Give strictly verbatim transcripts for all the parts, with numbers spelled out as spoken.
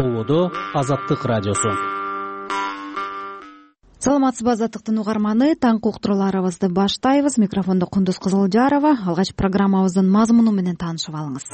Тободо Азаттык радиосу. Саламатсызбы Азаттыктын угарманы, таңкы уктурууларыбызды баштайбыз. Микрофондо Кундуз Кызылжарова. Алгач программабыздын мазмуну менен таанышып алыңыз.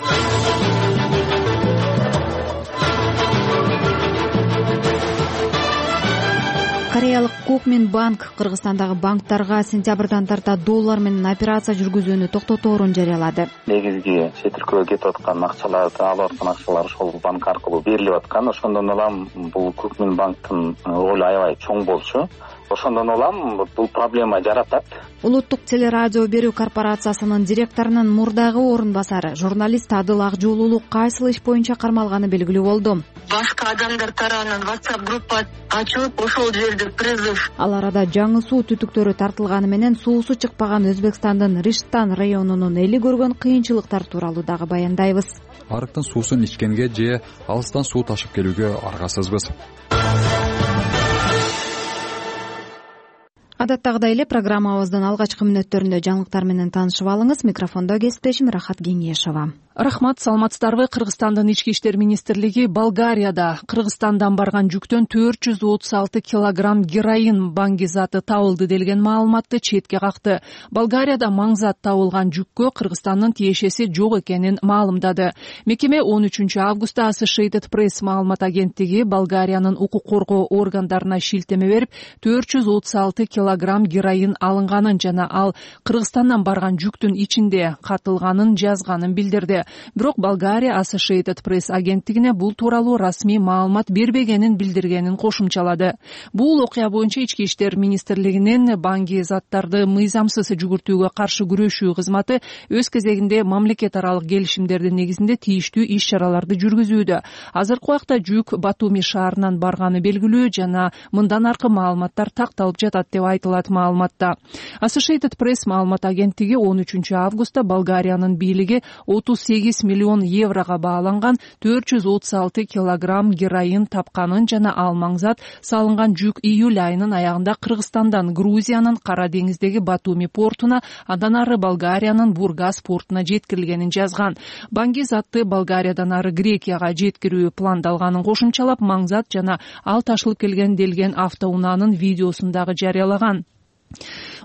Кореялык Кукминбанк Кыргызстандагы банктарга сентябрдан тарта доллар менен операция жүргүзүүнү токтоторун жарыялады. Негизги чет өлкөгө кетип аткан акчаларды, алып аткан акчалар ошол банк аркылуу берилип аткан. Ошондон улам бул Кукминбанктын ролу аябай чоң болчу. Ошондон улам бул проблема жаратат. Улуттук телерадио берүү корпорациясынын директорунун мурдагы орун басары журналист Адыл Акжуулуулук кайсыл иш боюнча кармалганы белгилүү болду. Башка адамдар тарабынан WhatsApp группа ачылып, ошол жерде призыв. Ал арада жаңы суу түтүктөрү тартылганы менен суусу чыкпаган Өзбекстандын Риштан районунун эли көргөн кыйынчылыктар тууралуу дагы баяндайбыз. Арыктын суусун ичкенге же алыстан суу ташып келүүгө аргасызбыз. Адаттагыдай эле программабыздын алгачкы мүнөттөрүндө жаңылыктар менен таанышып алыңыз. Микрофондо кесиптешим Рахат Кеңешова. Рахмат, саламатсыздарбы. Кыргызстандын ички иштер министрлиги Болгарияда Кыргызстандан барган жүктөн төрт жүз отуз алты килограмм героин баңгизаты табылды делген маалыматты четке какты. Болгарияда маңзат табылган жүккө Кыргызстандын тиешеси жок экенин маалымдады. Мекеме он үчүнчү августта Associated Press маалымат агенттиги Болгариянын укук коргоо органдарына шилтеме берип, төрт жүз отуз алты килограмм героин алынганын жана ал Кыргызстандан барган жүктүн ичинде катылганын жазганын билдирди. Бирок Болгария Associated Press агенттигине бул тууралуу расмий маалымат бербегенин билдиргенин кошумчалады. Бул окуя боюнча ички иштер министрлигинин банги заттарды мыйзамсыз жүгүртүүгө каршы күрөшүү кызматы өз кезегинде мамлекет аралык келишимдердин негизинде тийиштүү иш-чараларды жүргүзүүдө. Азыркы убакта жүк Батуми шаарынан барганы белгилүү жана мындан аркы маалыматтар такталып жатат деп айтылат маалыматта. Associated Press маалымат агенттиги он үчүнчү августта Болгариянын бийлиги отуз сегиз миллион еврого бааланган төрт жүз отуз алты килограмм героин тапканын жана ал маңзат салынган жүк июль айынын аягында Кыргызстандан Грузиянын Кара деңиздеги Батуми портуна, андан ары Болгариянын Бургас портуна жеткирилгенин жазган. Банги затты Болгариядан ары Грекияга жеткирүү пландалганын кошумчалап, маңзат жана ал ташылып келген делген автоунаанын видеосун дагы жарыялаган.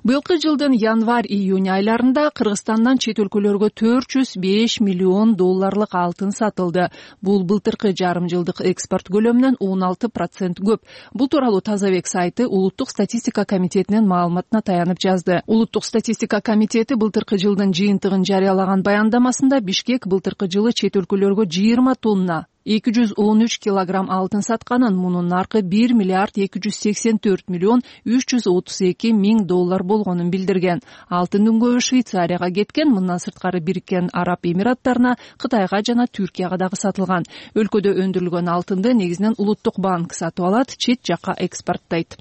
Быйылкы жылдын январь-июнь айларында Кыргызстандан чет өлкөлөргө төрт жүз беш миллион долларлык алтын сатылды. Бул былтыркы жарым жылдык экспорт көлөмүнөн он алты процент көп. Бул тууралуу Тазабек сайты Улуттук статистика комитетинин маалыматына таянып жазды. Улуттук статистика комитети былтыркы жылдын жыйынтыгын жарыялаган баяндамасында Бишкек былтыркы жылы чет өлкөлөргө жыйырма тонна эки жүз он үч килограмм алтын сатканын, мунун наркы бир миллиард эки жүз сексен төрт миллион үч жүз отуз эки миң доллар болгонун билдирген. Алтындын көбү Швейцарияга кеткен, мындан сырткары Бириккен Араб Эмираттарына, Кытайга жана Түркияга дагы сатылган. Өлкөдө өндүрүлгөн алтынды негизинен Улуттук банк сатып алат, чет жакка экспорттойт.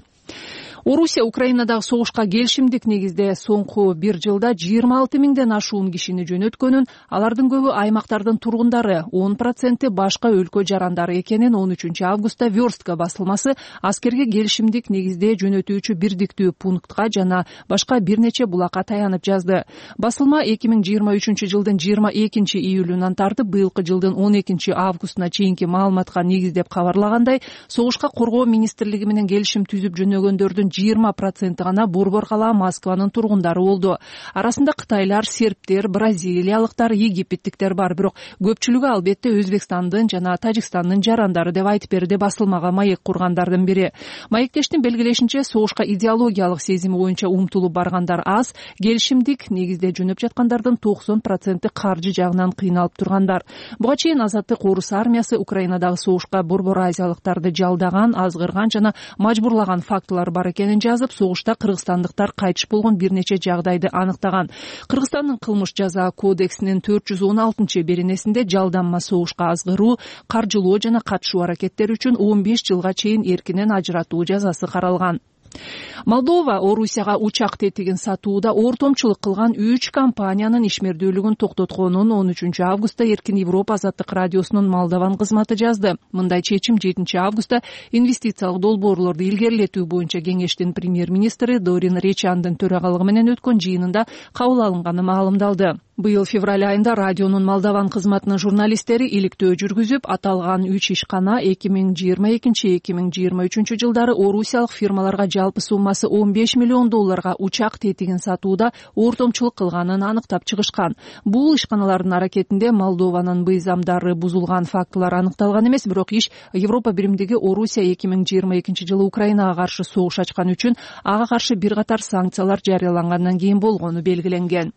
Орусия Украинадагы согушка келишимдик негизде соңку бир жылда жыйырма алты миңден ашуун кишини жөнөткөнүн, алардын көбү аймактардын тургундары, он проценти башка өлкө жарандары экенин он үчүнчү августта Верстка басылмасы аскерге келишимдик негизде жөнөтүүчү бирдиктүү пунктка жана башка бир нече булакка таянып жазды. Басылма эки миң жыйырма үчүнчү жылдын жыйырма экинчи июлунан тартып быйылкы жылдын он экинчи августуна чейинки маалыматка негиздеп кабарлагандай, согушка коргоо министрлиги менен келишим түзүп жөнөгөндөрдүн жыйырма проценти гана Борбор кала Москванын тургундары болду. Арасында кытайлар, сербтер, бразилиялыктар, египеттиктер бар, бирок көпчүлүгү албетте Өзбекстандын жана Тажикстандын жарандары деп айтып берди басылмага маек кургандардын бири. Маектештин белгилешинче, согушка идеологиялык сезими боюнча умтулуп баргандар аз, келишимдик негизде жөнөп жаткандардын токсон проценти каржы жагынан кыйналып тургандар. Буга чейин Азаттык Орус армиясы Украинадагы согушка Борбор азиялыктарды жалдаган, азгырган жана мажбурлаган фактылар бар экенин жазып, согушта кыргызстандыктар кайтыш болгон бир нече жагдайды аныктаган. Кыргызстандын кылмыш жаза кодексинин төрт жүз он алтынчы беренесинде жалданма согушка азгыруу, каржылоо жана катышуу аракеттери үчүн он беш жылга чейин эркинен ажыратуу жазасы каралган. Молдова Орусияга учак тетигин сатууда ортомчулук кылган үч компаниянын ишмердүүлүгүн токтотконун он үчүнчү августта Эркин Европа Азаттык радиосунун Молдован кызматы жазды. Мындай чечим жетинчи августта инвестициялык долбоорлорду илгерилетүү боюнча кеңештин премьер-министри Дорин Речандын төрагалыгы менен өткөн жыйынында кабыл алынганы маалымдалды. Быйыл февраль айында радионун Молдован кызматынын журналисттери иликтөө жүргүзүп, аталган үч ишкана эки миң жыйырма экинчи эки миң жыйырма үчүнчү жылдары орусиялык фирмаларга жалпы суммасы он беш миллион долларга учак тетигин сатууда ортомчулук кылганын аныктап чыгышкан. Бул ишканалардын аракетинде Молдованын быйзамдары бузулган фактылар аныкталган эмес, бирок иш Европа биримдиги Орусия эки миң жыйырма экинчи жылы Украинага каршы согуш ачкан үчүн ага каршы бир катар санкциялар жарыялангандан кийин болгону белгиленген.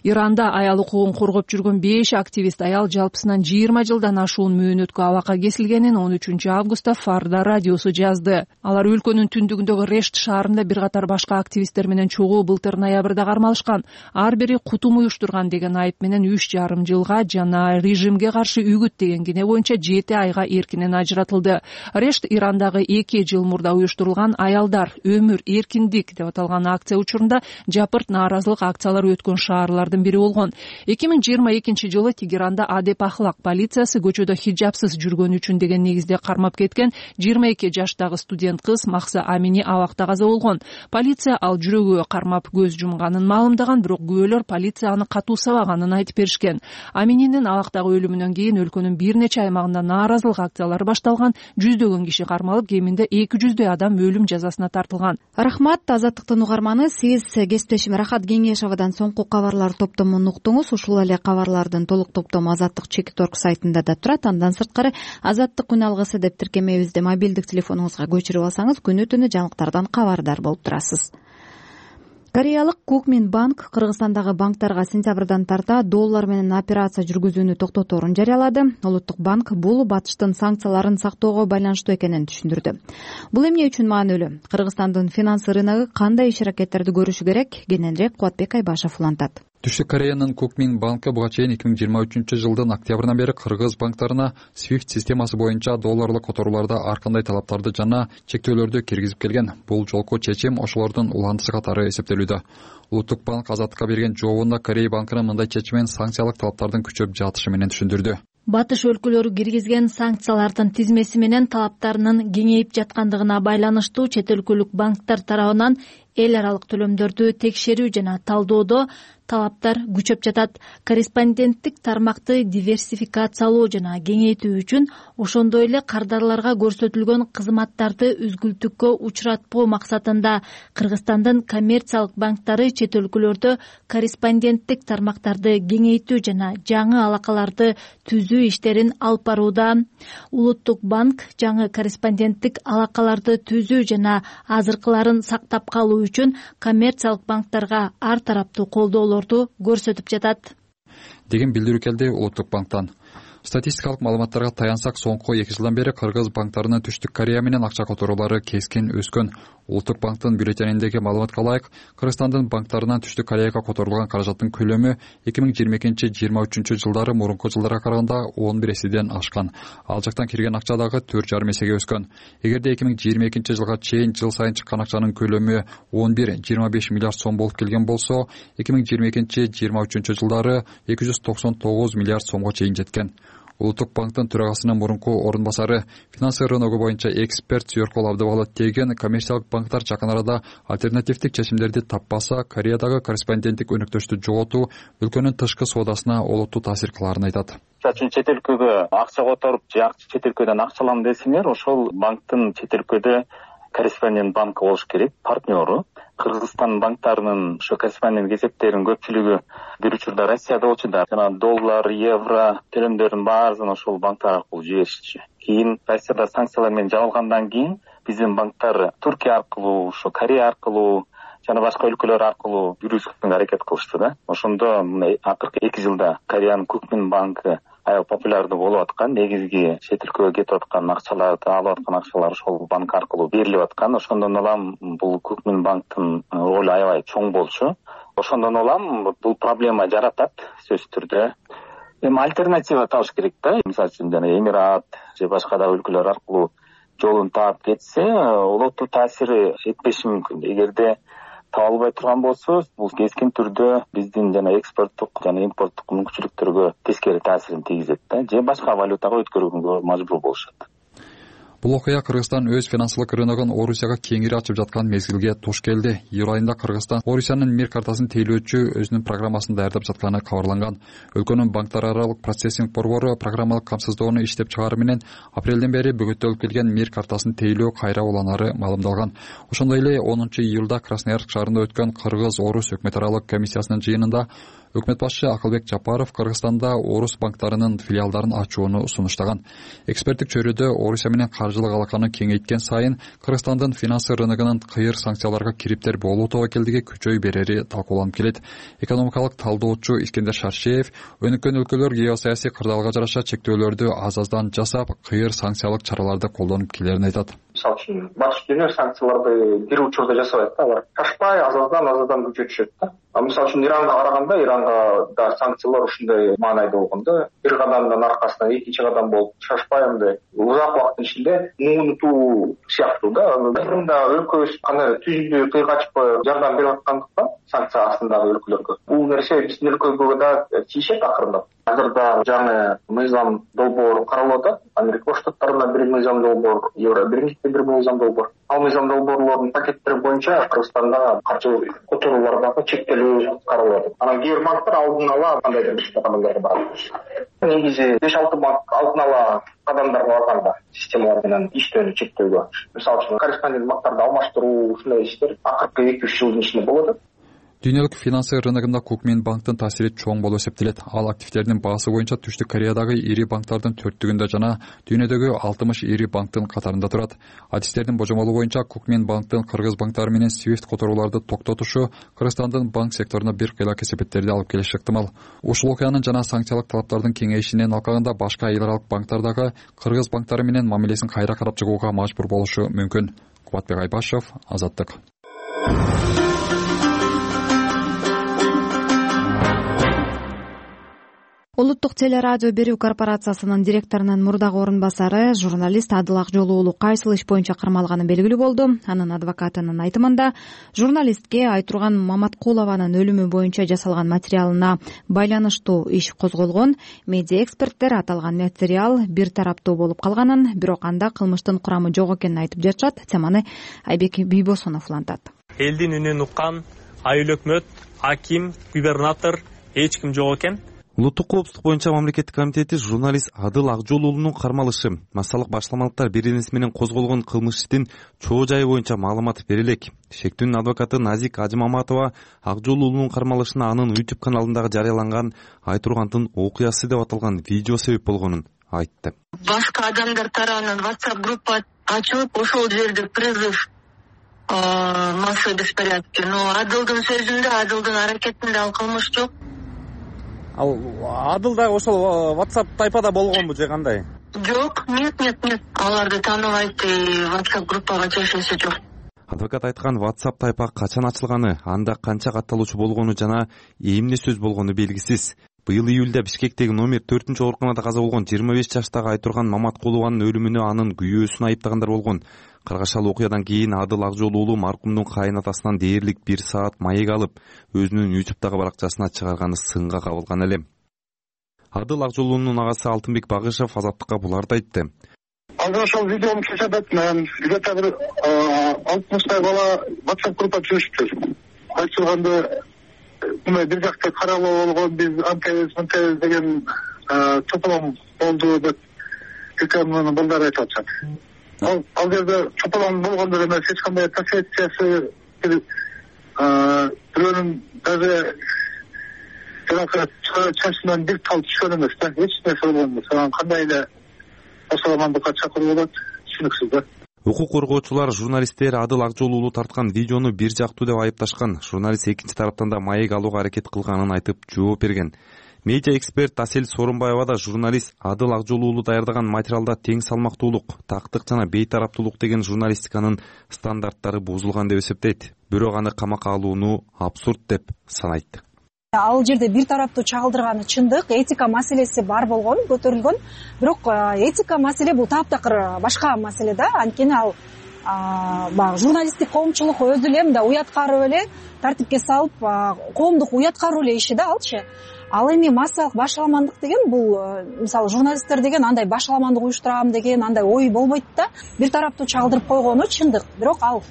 Иранда аял укугун коргоп жүргөн беш активист аял жалпысынан жыйырма жылдан ашуун мөөнөткө абакка кесилгенин он үчүнчү августта Фарда радиосу жазды. Алар өлкөнүн түндүгүндөгү Решт шаарында бир катар башка активисттер менен чогуу былтыр ноябрда кармалышкан. Ар бири кутум уюштурган деген айып менен үч жарым жылга жана режимге каршы үгүт деген кине боюнча жети айга эркинен ажыратылды. Решт Ирандагы эки жыл мурда уюштурулган аялдар өмүр эркиндик деп аталган акция учурунда жапырт нааразылык акциялары өткөн шаарлар бири болгон. эки миң жыйырма экинчи жылы Тегеранда Адеп Ахлак полициясы көчөдө хиджабсыз жүргөн үчүн деген негизде кармап кеткен жыйырма эки жаштагы студент кыз Макса Амини абакта каза болгон. Полиция ал жүрөгү кармап көз жумганын маалымдаган, бирок күбөлөр полиция аны катуу сабаганын айтып беришкен. Амининин абактагы өлүмүнөн кийин өлкөнүн бир нече аймагында нааразылык акциялары башталган, жүздөгөн киши кармалып, кеминде эки жүздөй адам өлүм жазасына тартылган. Рахмат, Азаттыктын угарманы. Сиз кесиптешим Рахат Кеңешовадан соңку кабарлар топтомун уктуңуз. Ушул эле кабарлардын толук топтому Азаттык чекит орг сайтында да турат. Андан сырткары Азаттык күн алгысы деп тиркемебизди мобилдик телефонуңузга көчүрүп алсаңыз, күнү-түнү жаңылыктардан кабардар болуп турасыз. Кореялык Кукмин банк Кыргызстандагы банктарга сентябрдан тарта доллар менен операция жүргүзүүнү токтоторун жарыялады. Улуттук банк бул батыштын санкцияларын сактоого байланыштуу экенин түшүндүрдү. Бул эмне үчүн маанилүү? Кыргызстандын финанс рыногу кандай иш-аракеттерди көрүшү керек? Кененирээк Кубатбек Айбашев улантат. Түштүк Кореянын Кукмин банкы буга чейин эки миң жыйырма үчүнчү жылдын октябрынан бери кыргыз банктарына свифт системасы боюнча долларлык которууларда ар кандай талаптарды жана чектөөлөрдү киргизип келген. Бул жолку чечим ошолордун уландысы катары эсептелүүдө. Улуттук банк Азаттыкка берген жообунда Корея банкынын мындай чечимен санкциялык талаптардын күчөп жатышы менен түшүндүрдү. Батыш өлкөлөрү киргизген санкциялардын тизмеси менен талаптарынын кеңейип жаткандыгына байланыштуу чет өлкөлүк банктар тарабынан эл аралык төлөмдөрдү текшерүү жана талдоодо талаптар күчөп жатат. Корреспонденттик тармакты диверсификациялоо жана кеңейтүү үчүн, ошондой эле кардарларга көрсөтүлгөн кызматтарды үзгүлтүккө учуратпоо максатында Кыргызстандын коммерциялык банктары чет өлкөлөрдө корреспонденттик тармактарды кеңейтүү жана жаңы алакаларды түзүү иштерин алып барууда. Улуттук банк жаңы корреспонденттик алакаларды түзүү жана азыркыларын сактап калуу үчүн коммерциялык банктарга ар тараптуу колдоолорду көрсөтүп жатат деген билдирүү келди Улуттук банктан. Статистикалык маалыматтарга таянсак, соңку эки жылдан бери кыргыз банктарынын Түштүк Корея менен акча которуулары кескин өскөн. Улуттук банктын бюллетениндеги маалыматка ылайык, Кыргызстандын банктарынан Түштүк Кореяга которулган каражаттын көлөмү эки миң жыйырма экинчи жыйырма үчүнчү жылдары мурунку жылдарга караганда он бир эседен ашкан. Ал жактан кирген акча дагы төрт жарым эсеге өскөн. Эгерде эки миң жыйырма экинчи жылга чейин жыл сайын чыккан акчанын көлөмү он бир жыйырма беш миллиард сом болуп келген болсо, эки миң жыйырма экинчи жыйырма үчүнчү жылдары эки жүз токсон тогуз миллиард сомго чейин жеткен. Улуттук банктын төрагасынын мурунку орун басары, финанс рыногу боюнча эксперт Сүйөркол Абдыбалы деген коммерциялык банктар жакын арада альтернативдик чечимдерди таппаса, Кореядагы корреспонденттик өнөктөштү жоготуу өлкөнүн тышкы соодасына олуттуу таасир кыларын айтат. Чачын чет өлкөгө акча которуп, же чет өлкөдөн акча алам десеңер, ошол банктын чет өлкөдө корреспондент банкы болуш керек, партнеру. Кыргызстан банктарынын ошо корреспондент эсептеринин көпчүлүгү бир учурда Россияда болчу да, жана доллар, евро төлөмдөрдүн баарын ошол банктар аркылуу жиберишчү. Кийин Россияда санкциялар менен жабылгандан кийин биздин банктар Түркия аркылуу, ошо Корея аркылуу жана башка өлкөлөр аркылуу жүргүзүүгө аракет кылышты да. Ошондо акыркы эки жылда Кореянын Кукмин банкы аябай популярдуу болуп аткан, негизги чет өлкөгө кетип аткан акчаларды, алып аткан акчалар ошол банк аркылуу берилип аткан. Ошондон улам бул Кукмин банктын ролу аябай чоң болчу. Ошондон улам бул проблема жаратат сөзсүз түрдө. Эми альтернатива табыш керек да. Мисалы үчүн жана Эмират же башка да өлкөлөр аркылуу жолун таап кетсе, олуттуу таасири жетпеши мүмкүн. Эгерде таба албай турган болсо, бул кескин түрдө биздин жана экспорттук жана импорттук мүмкүнчүлүктөргө тескери таасирин тийгизет да, же башка валютага өткөрүүгө мажбур болушат. Бул окуя Кыргызстан өз финансылык рыногун Орусияга кеңири ачып жаткан мезгилге туш келди. Июль айында Кыргызстан Орусиянын мир картасын тейлөөчү өзүнүн программасын даярдап жатканы кабарланган. Өлкөнүн банктар аралык процессинг борбору программалык камсыздоону иштеп чыгаруу менен апрелден бери бөгөттөлүп келген мир картасын тейлөө кайра уланары маалымдалган. Ошондой эле онунчу июлда Красноярск шаарында өткөн Кыргыз-Орус өкмөт аралык комиссиясынын жыйынында өкмөт башчы Акылбек Жапаров Кыргызстанда Орус банктарынын филиалдарын ачууну сунуштаган. Эксперттик чөйрөдө Орусия менен каржылык алаканы кеңейткен сайын Кыргызстандын финансы рыногунун кыйыр санкцияларга кириптер болуу тобокелдиги күчөй берери талкууланып келет. Экономикалык талдоочу Искендер Шаршеев өнүккөн өлкөлөр геосаясий кырдаалга жараша чектөөлөрдү аз-аздан жасап, кыйыр санкциялык чараларды колдонуп келерин айтат. Мисалы үчүн батыш дүйнө санкцияларды бир учурда жасабайт да, алар ташпай аз-аздан аз-аздан күчөтүшөт да. Мисалы үчүн Иранга караганда, Иранга да санкциялар ушундай маанайда болгон да. Бир кадамдын аркасынан экинчи кадам болуп шашпай андай узак убакыттын ичинде муунутуу сыяктуу да. Айрымда өлкөбүз кандай түздүү кыйга ачпай жардам берип аткандыктан санкция астындагы өлкөлөргө бул нерсе биздин өлкөгө да тийишет акырындап. Азырда жаңы мыйзам долбоор каралып атат. Америка Кош Штаттарында бир мыйзам долбоор, Евро биринчи бир мыйзам долбоор. Ал мыйзам долбоорлордун пакеттери боюнча Кыргызстанда каржы которуулардагы чектелүү каралып атат. Анан кээ бир банктар алдын ала кандайдыр бир кадамдарга барат. Негизи беш алты банк алдын ала кадамдарга барганда системалар менен иштөөнү чектөөгө. Мисалы үчүн корреспондент банктарды алмаштыруу ушундай иштер акыркы эки үч жылдын ичинде болуп атат. Дүйнөлүк финансы рыногунда Кукминбанктын таасири чоң болуп эсептелет. Ал активдердин баасы боюнча Түштүк Кореядагы ири банктардын төрттүгүндө жана дүйнөдөгү алтымыш ири банктын катарында турат. Адистердин божомолу боюнча Кукминбанктын кыргыз банктары менен Свифт которууларды токтотушу Кыргызстандын банк секторуна бир кыйла кесепеттерди алып келиши ыктымал. Ушул окуянын жана санкциялык талаптардын кеңейишинен алкагында башка эл аралык банктар дагы кыргыз банктары менен мамилесин кайра карап чыгууга мажбур болушу мүмкүн. Кубатбек Айбашев, Азаттык. Улуттук телерадио берүү корпорациясынын директорунун мурдагы орун басары журналист Адыл Акжол уулу кайсыл иш боюнча кармалганы белгилүү болду. Анын адвокатынын айтымында, журналистке Айтурган Маматкулованын өлүмү боюнча жасалган материалына байланыштуу иш козголгон. Медиа эксперттер аталган материал бир тараптуу болуп калганын, бирок анда кылмыштын курамы жок экенин айтып жатышат. Теманы Айбек Бийбосунов улантат. Элдин үнүн уккан айыл өкмөт, аким, губернатор эч ким жок экен. Улуттук коопсуздук боюнча мамлекеттик комитети журналист Адыл Акжол уулунун кармалышы, массалык башламалыктар беренеси менен козголгон кылмыш иштин чоо жайы боюнча маалымат бере элек. Шектүүнүн адвокаты Назик Ажымаматова Акжол уулунун кармалышына анын YouTube каналындагы жарыяланган Айтургандын окуясы деп аталган видео себеп болгонун айтты. Башка адамдар тарабынан WhatsApp группа ачылып, ошол жерде призыв массовый беспорядки. Но Адылдын сөзүндө, Адылдын аракетинде ал кылмыш жок. Ал Адыл да ошол WhatsApp тайпада болгонбу же кандай? Жок, нет, нет, нет. Аларды тааныбайт, WhatsApp группага чечилсе жок. Адвокат айткан WhatsApp тайпа качан ачылганы, анда канча катталуучу болгону жана эмне сөз болгону белгисиз. Быйыл июлда Бишкектеги номер төртүнчү ооруканада каза болгон жыйырма беш жаштагы Айтурган Маматкулованын өлүмүнө анын күйөөсүн айыптагандар болгон. Каргашал окуядан кийин Адыл Акжол уулу маркумдун кайнатасынан дээрлик бир саат маек алып, өзүнүн YouTube'дагы баракчасына чыгарганы сынга кабылган эле. Адыл Акжол уулунун агасы Алтынбек Багышев Азаттыкка буларды айтты. Азыр ошол видеону чечет, мен где-то бир алтымыштай бала WhatsApp группа түзүшүптүр. Айтылганды мына бир жакта каралуу болгон, биз анкебиз мынтебиз деген чополом болду деп экөөнүн балдары айтып атышат. Ал ал жерде чополом болгондор эмес, эч кандай последствиясы бирөөнүн даже жанагы чачынан бир тал түшкөн эмес да, эч нерсе болгон эмес. Анан кандай эле осаламандыкка чакыруу болот, түшүнүксүз да. Укук коргоочулар журналисттер Адыл Акжол уулу тарткан видеону бир жактуу деп айыпташкан. Журналист экинчи тараптан да маек алууга аракет кылганын айтып жооп берген. Медиа эксперт Асель Сооронбаева да журналист Адыл Акжол уулу даярдаган материалда тең салмактуулук, тактык жана бейтараптуулук деген журналистиканын стандарттары бузулган деп эсептейт. Бирок аны камакка алууну абсурд деп санайт. Ал жерде бир тараптуу чагылдырганы чындык, этика маселеси бар болгон, көтөрүлгөн. Бирок этика маселе бул таптакыр башка маселе да. Анткени ал баягы журналисттик коомчулук өзү эле мындай уяткарып эле тартипке салып коомдук уяткаруу эле иши да алчы. Ал эми массалык башаламандык деген бул мисалы журналисттер деген андай башаламандык уюштурам деген андай ой болбойт да. Бир тараптуу чагылдырып койгону чындык, бирок ал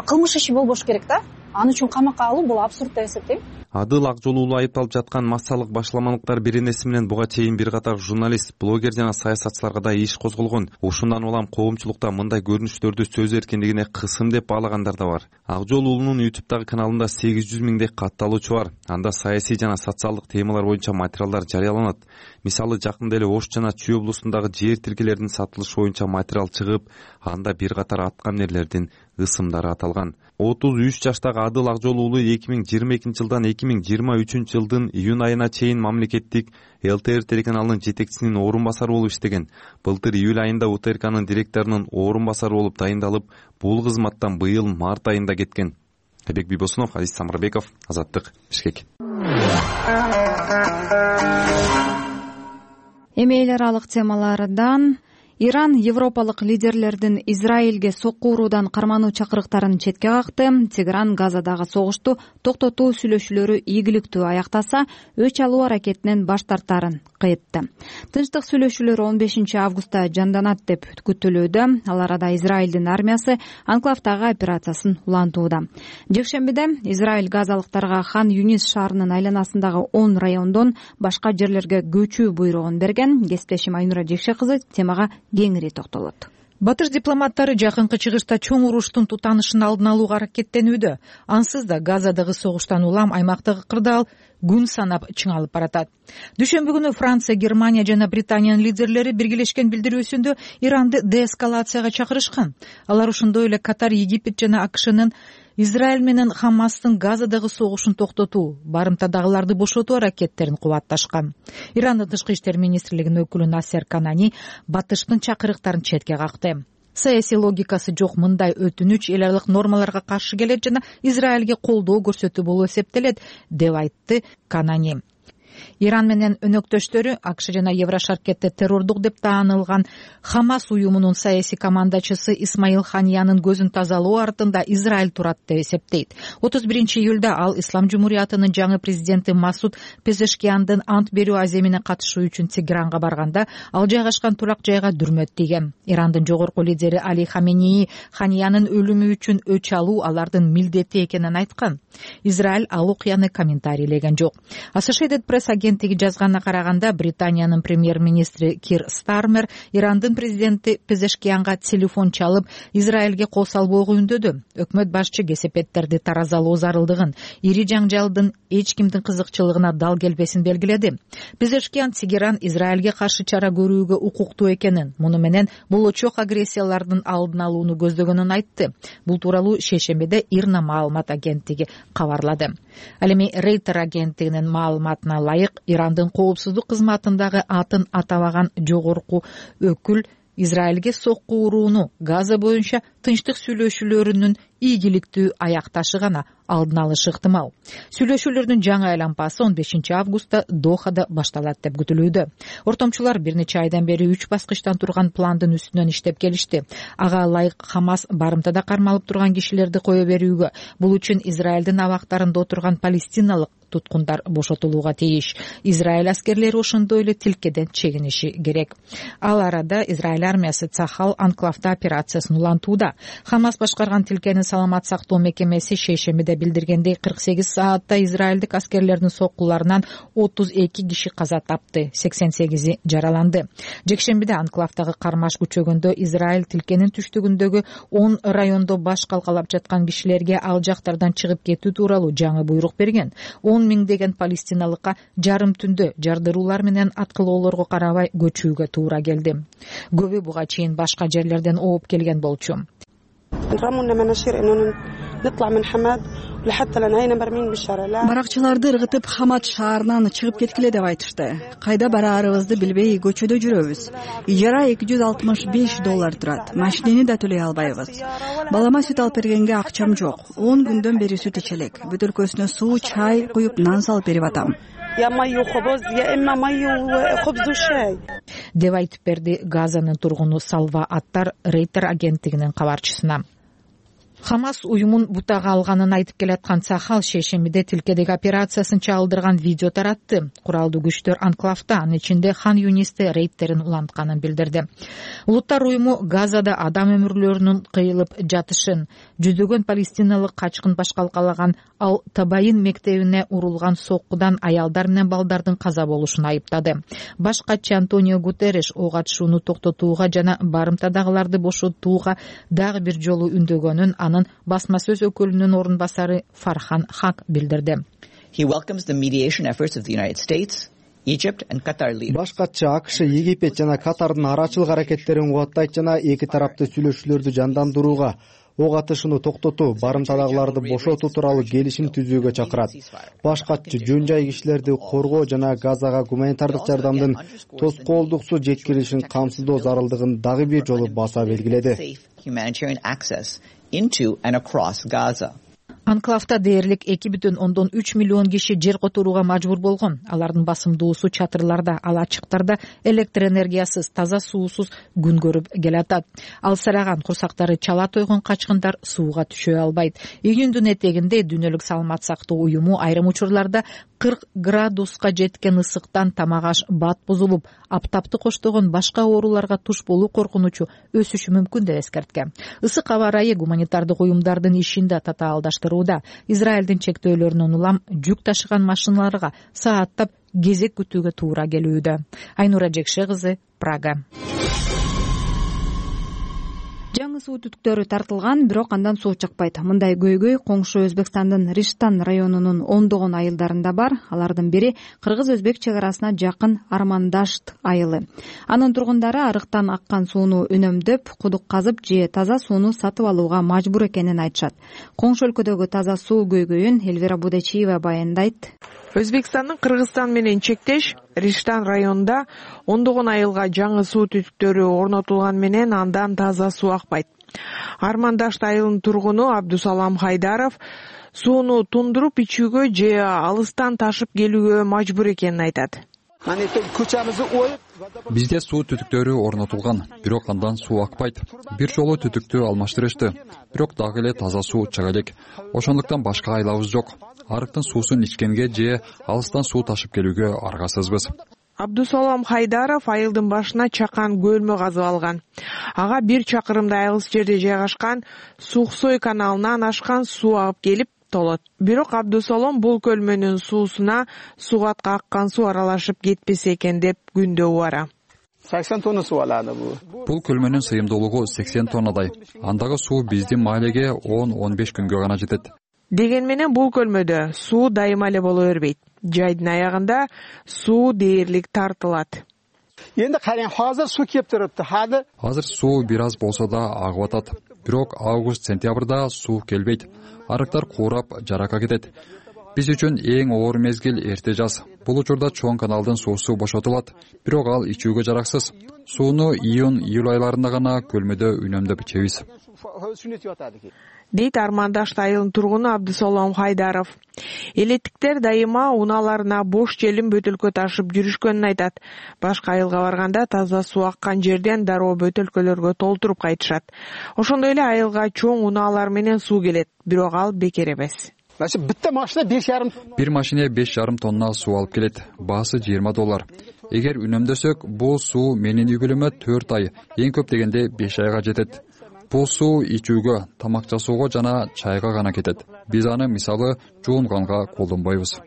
кылмыш иши болбош керек да. Ал үчүн камакка алуу бул абсурд деп эсептейм. Адыл ак жолуулуу айыпталып жаткан массалык башаламандыктар беренеси менен буга чейин бир катар журналист, блогер жана саясатчыларга да иш козголгон. Ушундан улам коомчулукта мындай көрүнүштөрдү сөз эркиндигине кысым деп баалагандар да бар. Ак жолуулуунун ютубтагы каналында сегиз жүз миңдей катталуучу бар. Анда саясий жана социалдык темалар боюнча материалдар жарыяланат. Мисалы, жакында эле Ош жана Чүй облусундагы жер тилкелеринин сатылышы боюнча материал чыгып, анда бир катар аткаминерлердин ысымдары аталган. отуз үч жаштагы Адыл ак жолуулуу эки миң жыйырма экинчи жылдан эки миң жыйырма үчүнчү жылдын июнь айына чейин мамлекеттик эл тэ эр телеканалынын жетекчисинин орун басары болуп иштеген. Былтыр июль айында У Т Р Кнын директорунун орун басары болуп дайындалып, бул кызматтан быйыл март айында кеткен. Айбек Бийбосунов, Азиз Самырбеков, Азаттык, Бишкек. Эми эл аралык темалардан Иран европалык лидерлердин Израилге сокку уруудан кармануу чакырыктарын четке какты. Тегеран Газадагы согушту токтотуу сүйлөшүүлөрү ийгиликтүү аяктаса, өч алуу аракетинен баш тартарын кайтты. Тынчтык сүйлөшүүлөр он бешинчи августта жанданат деп күтүлүүдө. Ал арада Израилдин армиясы анклавдагы операциясын улантууда. Жекшембиде Израиль газалыктарга Хан Юнис шаарынын айланасындагы он райондон башка жерлерге көчүү буйругун берген. Кесиптешим Айнура Жекше кызы темага кеңири токтолот. Батыш дипломаттары жакынкы чыгышта чоң уруштун тутанышын алдын алууга аракеттенүүдө. Ансыз да Газадагы согуштан улам аймактагы кырдаал күн санап чыңалып баратат. Дүйшөмбү күнү Франция, Германия жана Британиянын лидерлери биргелешкен билдирүүсүндө Иранды деэскалацияга чакырышкан. Алар ошондой эле Катар, Египет жана А К Шнын Израиль менен Хамастын Газадагы согушун токтотуу, барымтадагыларды бошотуу аракеттерин кубатташкан. Ирандын тышкы иштер министрлигинин өкүлү Насер Канани Батыштын чакырыктарын четке какты. Саясий логикасы жок мындай өтүнүч эл аралык нормаларга каршы келет жана Израилге колдоо көрсөтүү болуп эсептелет, деп айтты Канани. Иран менен өнөктөштөрү А К Ш жана Еврошаркетте террордук деп таанылган Хамас уюмунун саясий командачысы Исмаил Ханиянын көзүн тазалоо артында Израиль турат деп эсептейт. отуз биринчи июлда ал Ислам Жумуриятынын жаңы президенти Масуд Пезешкияндын ант берүү аземине катышуу үчүн Тегеранга барганда ал жайгашкан турак жайга дүрмөт тийген. Ирандын жогорку лидери Али Хаменеи Ханиянын өлүмү үчүн өч алуу алардын милдети экенин айткан. Израиль ал окуяны комментарийлеген жок. Associated Press агенттиги жазганына караганда, Британиянын премьер-министри Кир Стармер Ирандын президенти Пезешкиянга телефон чалып, Израилге кол салбоого үндөдү. Өкмөт башчы кесепеттерди таразалоо зарылдыгын, ири жаңжалдын эч кимдин кызыкчылыгына дал келбесин белгиледи. Пезешкиян Тегеран Израилге каршы чара көрүүгө укуктуу экенин, муну менен болочок агрессиялардын алдын алууну көздөгөнүн айтты. Бул тууралуу шейшембиде Ирна маалымат агенттиги кабарлады. Ал эми Рейтер агенттигинин маалыматына ылайык, Ирандын коопсуздук кызматындагы атын атабаган жогорку өкүл Израилге сокку урууну Газа боюнча тынчтык сүйлөшүүлөрүнүн ийгиликтүү аякташы гана алдын алышы ыктымал. Сүйлөшүүлөрдүн жаңы айлампасы он бешинчи августта Дохада башталат деп күтүлүүдө. Ортомчулар бир нече айдан бери үч баскычтан турган пландын үстүнөн иштеп келишти. Ага ылайык Хамас барымтада кармалып турган кишилерди кое берүүгө, бул үчүн Израилдин абактарында отурган палестиналык туткундар бошотулууга тийиш. Израиль аскерлери ошондой эле тилкеден чегиниши керек. Ал арада Израиль армиясы Цахал анклавда операциясын улантууда. Хамас башкарган тилкенин саламат сактоо мекемеси шейшембиде билдиргендей, кырк сегиз саатта израилдик аскерлердин соккуларынан отуз эки киши каза тапты, сексен сегизи жараланды. Жекшембиде анклавдагы кармаш күчөгөндө Израиль тилкенин түштүгүндөгү он райондо баш калкалап жаткан кишилерге ал жактардан чыгып кетүү тууралуу жаңы буйрук берген. он миңдеген палестиналыкка жарым түндө жардыруулар менен аткылоолорго карабай көчүүгө туура келди. Көбү буга чейин башка жерлерден ооп келген болчу. Баракчыларды ыргытып Хамад шаарынан чыгып кеткиле деп айтышты. Кайда бараарыбызды билбей көчөдө жүрөбүз. Ижара эки жүз алтымыш беш доллар турат. Машинени да төлөй албайбыз. Балама сүт алып бергенге акчам жок. он күндөн бери сүт ичелек. Бөтөлкөсүнө суу, чай куюп, нан салып берип атам. деп айтып берди Газанын тургуну Салва Аттар Рейтер агенттигинин кабарчысына. Хамас уюмун бутага алганын айтып келаткан Сахал шейшембиде тилкедеги операциясын чагылдырган видео таратты. Куралдуу күчтөр анклавда, анын ичинде Хан Юнисте рейдтерин улантканын билдирди. Улуттар уюму Газада адам өмүрлөрүнүн кыйылып жатышын, жүздөгөн палестиналык качкын башкалкалаган Ал Табайын мектебине урулган соккудан аялдар менен балдардын каза болушун айыптады. Баш катчы Антонио Гутерриш ок атышууну токтотууга жана барымтадагыларды бошотууга дагы бир жолу үндөгөнүн анын басма сөз өкүлүнүн орун басары Фархан Хак билдирди. Баш катчы АКШ, Египет жана Катардын арачылык аракеттерин кубаттайт жана эки тарапты сүйлөшүүлөрдү жандандырууга, ок атышууну токтотуу, барымтадагыларды бошотуу тууралуу келишим түзүүгө чакырат. Баш катчы жөн жай кишилерди коргоо жана Газага гуманитардык жардамдын тоскоолдуксуз жеткирилишин камсыздоо зарылдыгын дагы бир жолу баса белгиледи. Анклавда дээрлик эки бүтүн ондон үч миллион киши жер которууга мажбур болгон. Алардын басымдуусу чатырларда, ал ачыктарда электр энергиясыз, таза суусуз күн көрүп келатат. Алсыраган курсактары чала тойгон качкындар сууга түшө албайт. Июндун этегинде Дүйнөлүк саламат сактоо уюму айрым учурларда кырк градуска жеткен ысыктан тамак аш бат бузулуп, аптапты коштогон башка ооруларга туш болуу коркунучу өсүшү мүмкүн деп эскерткен. Ысык аба ырайы гуманитардык уюмдардын ишин да татаалдаштырууда. Израилдин чектөөлөрүнөн улам жүк ташыган машиналарга сааттап кезек күтүүгө туура келүүдө. Айнура Жекше кызы, Прага. Жаңы суу түтүктөрү тартылган, бирок андан суу чыкпайт. Мындай көйгөй коңшу Өзбекстандын Риштан районунун ондогон айылдарында бар. Алардын бири кыргыз-өзбек чек арасына жакын Армандашт айылы. Анын тургундары арыктан аккан сууну үнөмдөп, кудук казып же таза сууну сатып алууга мажбур экенин айтышат. Коңшу өлкөдөгү таза суу көйгөйүн Элвира Будечиева баяндайт. Өзбекстандын Кыргызстан менен чектеш Риштан районунда ондогон айылга жаңы суу түтүктөрү орнотулган менен андан таза суу акпайт. Армандашт айылынын тургуну Абдусалам Хайдаров сууну тундуруп ичүүгө же алыстан ташып келүүгө мажбур экенин айтат. Бизде суу түтүктөрү орнотулган, бирок андан суу акпайт. Бир жолу түтүктү алмаштырышты, бирок дагы эле таза суу чыга элек. Ошондуктан башка айлабыз жок. Арыктын суусун ичкенге же алыстан суу ташып келүүгө аргасызбыз. Абдусалам Хайдаров айылдын башына чакан көлмө казып алган. Ага бир чакырымдай алыс жерде жайгашкан Сухсой каналынан ашкан суу агып келип толот. Бирок Абдусалам бул көлмөнүн суусуна сугатка аккан суу аралашып кетпесе экен деп күндө убара. сексен тонна суу алады бул. Бул көлмөнүн сыйымдуулугу сексен тоннадай. Андагы суу биздин маалеге он он беш күнгө гана жетет. Деген менен бул көлмөдө суу дайыма эле боло бербейт. Жайдын аягында суу дээрлик тартылат. Эndi караң, азыр суу кеп турупты. Азыр суу бир аз болсо да агып атат. Бирок август-сентябрда суу келбейт. Арыктар куурап, жарака кетет. Биз үчүн эң оор мезгил эрте жаз. Бул учурда чоң каналдын суусу бошотулат, бирок ал ичүүгө жараксыз. Сууну июнь-июль айларында гана көлмөдө үнөмдөп ичебиз. Дейт Армандашт айылынын тургуну Абдусалам Хайдаров. Элеттиктер дайыма унааларына бош желим бөтөлкө ташып жүрүшкөнүн айтат. Башка айылга барганда таза суу аккан жерден дароо бөтөлкөлөргө толтуруп кайтышат. Ошондой эле айылга чоң унаалар менен суу келет, бирок ал бекер эмес. Бир машине беш жарым тонна суу алып келет. Баасы жыйырма доллар. Эгер үнөмдөсөк, бул суу менин үй бүлөмө төрт ай, эң көп дегенде беш айга жетет. Бул суу ичүүгө, тамак жасоого жана чайга гана кетет. Биз аны мисалы жуунганга колдонбойбуз.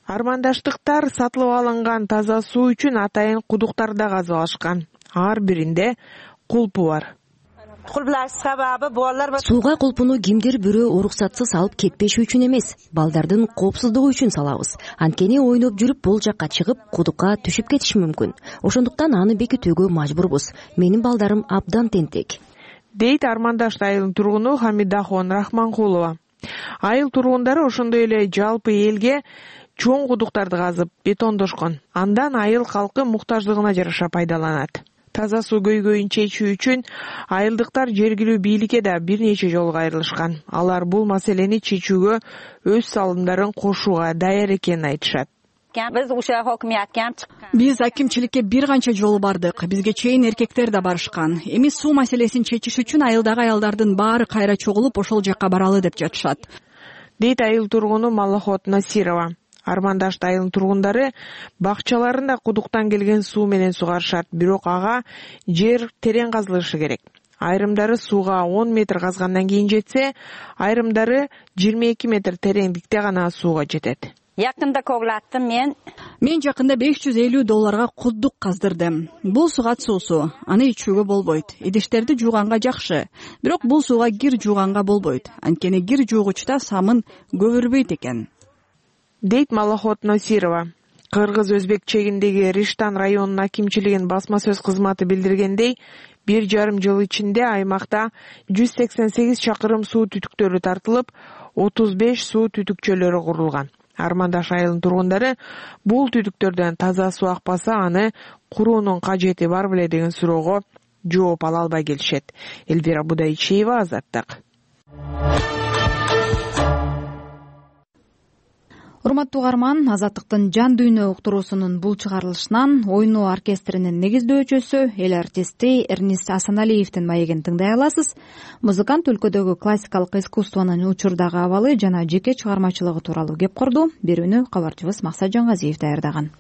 Армандаштыктар сатылып алынган таза суу үчүн атайын кудуктарда казып алышкан. Ар биринде кулпу бар. Сууга кулпуну кимдир бирөө уруксатсыз алып кетпеши үчүн эмес, балдардын коопсуздугу үчүн салабыз. Анткени ойноп жүрүп бул жакка чыгып, кудукка түшүп кетиши мүмкүн. Ошондуктан аны бекитүүгө мажбурбуз. Менин балдарым абдан тентек. Дейт Армандашт айылынын тургуну Хамидахон Рахманкулова. Айыл тургундары ошондой эле жалпы элге чоң кудуктарды казып, бетондошкон. Андан айыл калкы муктаждыгына жараша пайдаланат. Таза суу көйгөйүн чечүү үчүн айылдыктар жергилүү бийликке да бир нече жолу кайрылышкан. Алар бул маселени чечүүгө өз салымдарын кошууга даяр экенин айтышат. биз ушул хокумиятка ham чыккан. Биз акимчиликке бир канча жолу бардык. Бизге чейин эркектер да барышкан. Эми суу маселесин чечиш үчүн айылдагы аялдардын баары кайра чогулуп ошол жакка баралы деп жатышат, дейт айыл тургуну Малахот Насирова. Армандашт айылынын тургундары бакчаларында кудуктан келген суу менен сугарышат, бирок ага жер терең казылышы керек. Айрымдары сууга он метр казгандан кийин жетсе, айрымдары жыйырма эки метр тереңдикте гана сууга жетет. Якында коглаттым мен. Мен жакында беш жүз элүү долларга кудук каздырдым. Бул сугат суусу, аны ичүүгө болбойт. Идиштерди жууганга жакшы, бирок бул сууга кир жууганга болбойт. Анткени кир жуугучта самын көбүрбөйт экен, дейт Малахот Насирова. Кыргыз-Өзбек чегиндеги Риштан районунун акимчилигинин басма сөз кызматы билдиргендей, бир жарым жыл ичинде аймакта жүз сексен сегиз чакырым суу түтүктөрү тартылып, отуз беш суу түтүкчөлөрү курулган. Армандаш айылынын тургундары бул түтүктөрдөн таза суу акпаса, аны куруунун кажети бар беле деген суроого жооп ала албай келишет. Элвира Будайчиева, Азаттык. Урматтуу угарман, Азаттыктын жан дүйнө уктуруусунун бул чыгарылышынан ойноо оркестринин негиздөөчүсү, эл артисти Эрнист Асаналиевдин маегин тыңдай аласыз. Музыкант өлкөдөгү классикалык искусствонун учурдагы абалы жана жеке чыгармачылыгы тууралуу кеп курду. Берүүнү кабарчыбыз Максат Жангазиев даярдаган.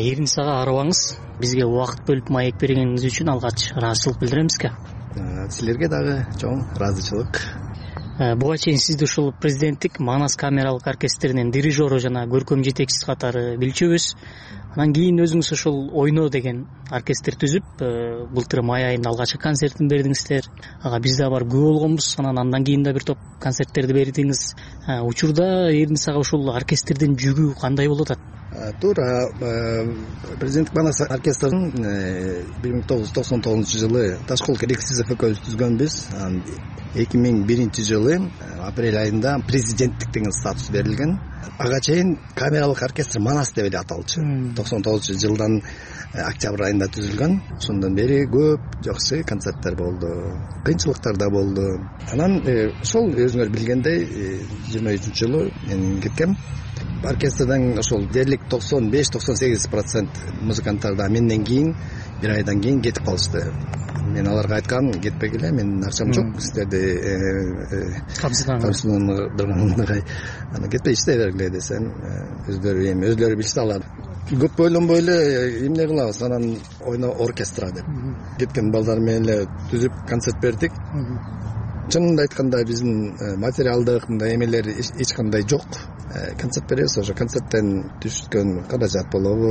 Эрнисага арыбаңыз. Бизге убакыт бөлүп маек бергениңиз үчүн алгач ыраазычылык билдиремизги. Силерге дагы чоң ыраазычылык. Буга чейин сизди ушул президенттик Манас камералык оркестринин дирижеру жана көркөм жетекчиси катары билчүбүз. Анан кийин өзүңүз ушул ойноо деген оркестр түзүп, былтыр май айында алгачкы концертин бердиңиздер. Ага биз да барып күбө болгонбуз. Анан андан кийин да бир топ концерттерди бердиңиз. Учурда Эрнисага ушул оркестрдин жүгү кандай болуп атат? Туура, президенттик Манас оркестрин бир миң тогуз жүз токсон тогузунчу жылы Ташкол Керексизов экөөбүз түзгөнбүз. эки миң биринчи жылы апрель айында президенттик деген статус берилген. Ага чейин камералык оркестр Манас деп эле аталчу. токсон тогузунчу жылдан октябрь айында түзүлгөн. Ошондон бери көп жакшы концерттер болду, кыйынчылыктар да болду. Анан ошол өзүңөр билгендей жыйырма үчүнчү жылы мен кеткем. Оркестрден ошол дерлик токсон беш токсон сегиз процент музыканттар да менден кийин бир айдан кийин кетип калышты. Мен аларга айткам, кетпегиле, менин акчам жок, силерди камсыздандыргандай. Аны кетпей иштей бергиле десем, өздөрү эми өзлөрү билсе алат. Көп ойлонбой эле эмне кылабыз, анан ойно оркестра деп. Кеткен балдар менен эле түзүп концерт бердик. Чынында айтканда биздин материалдык мындай эмелер эч кандай жок. Концерт беребиз, ошо концерттен түшкөн каражат болобу,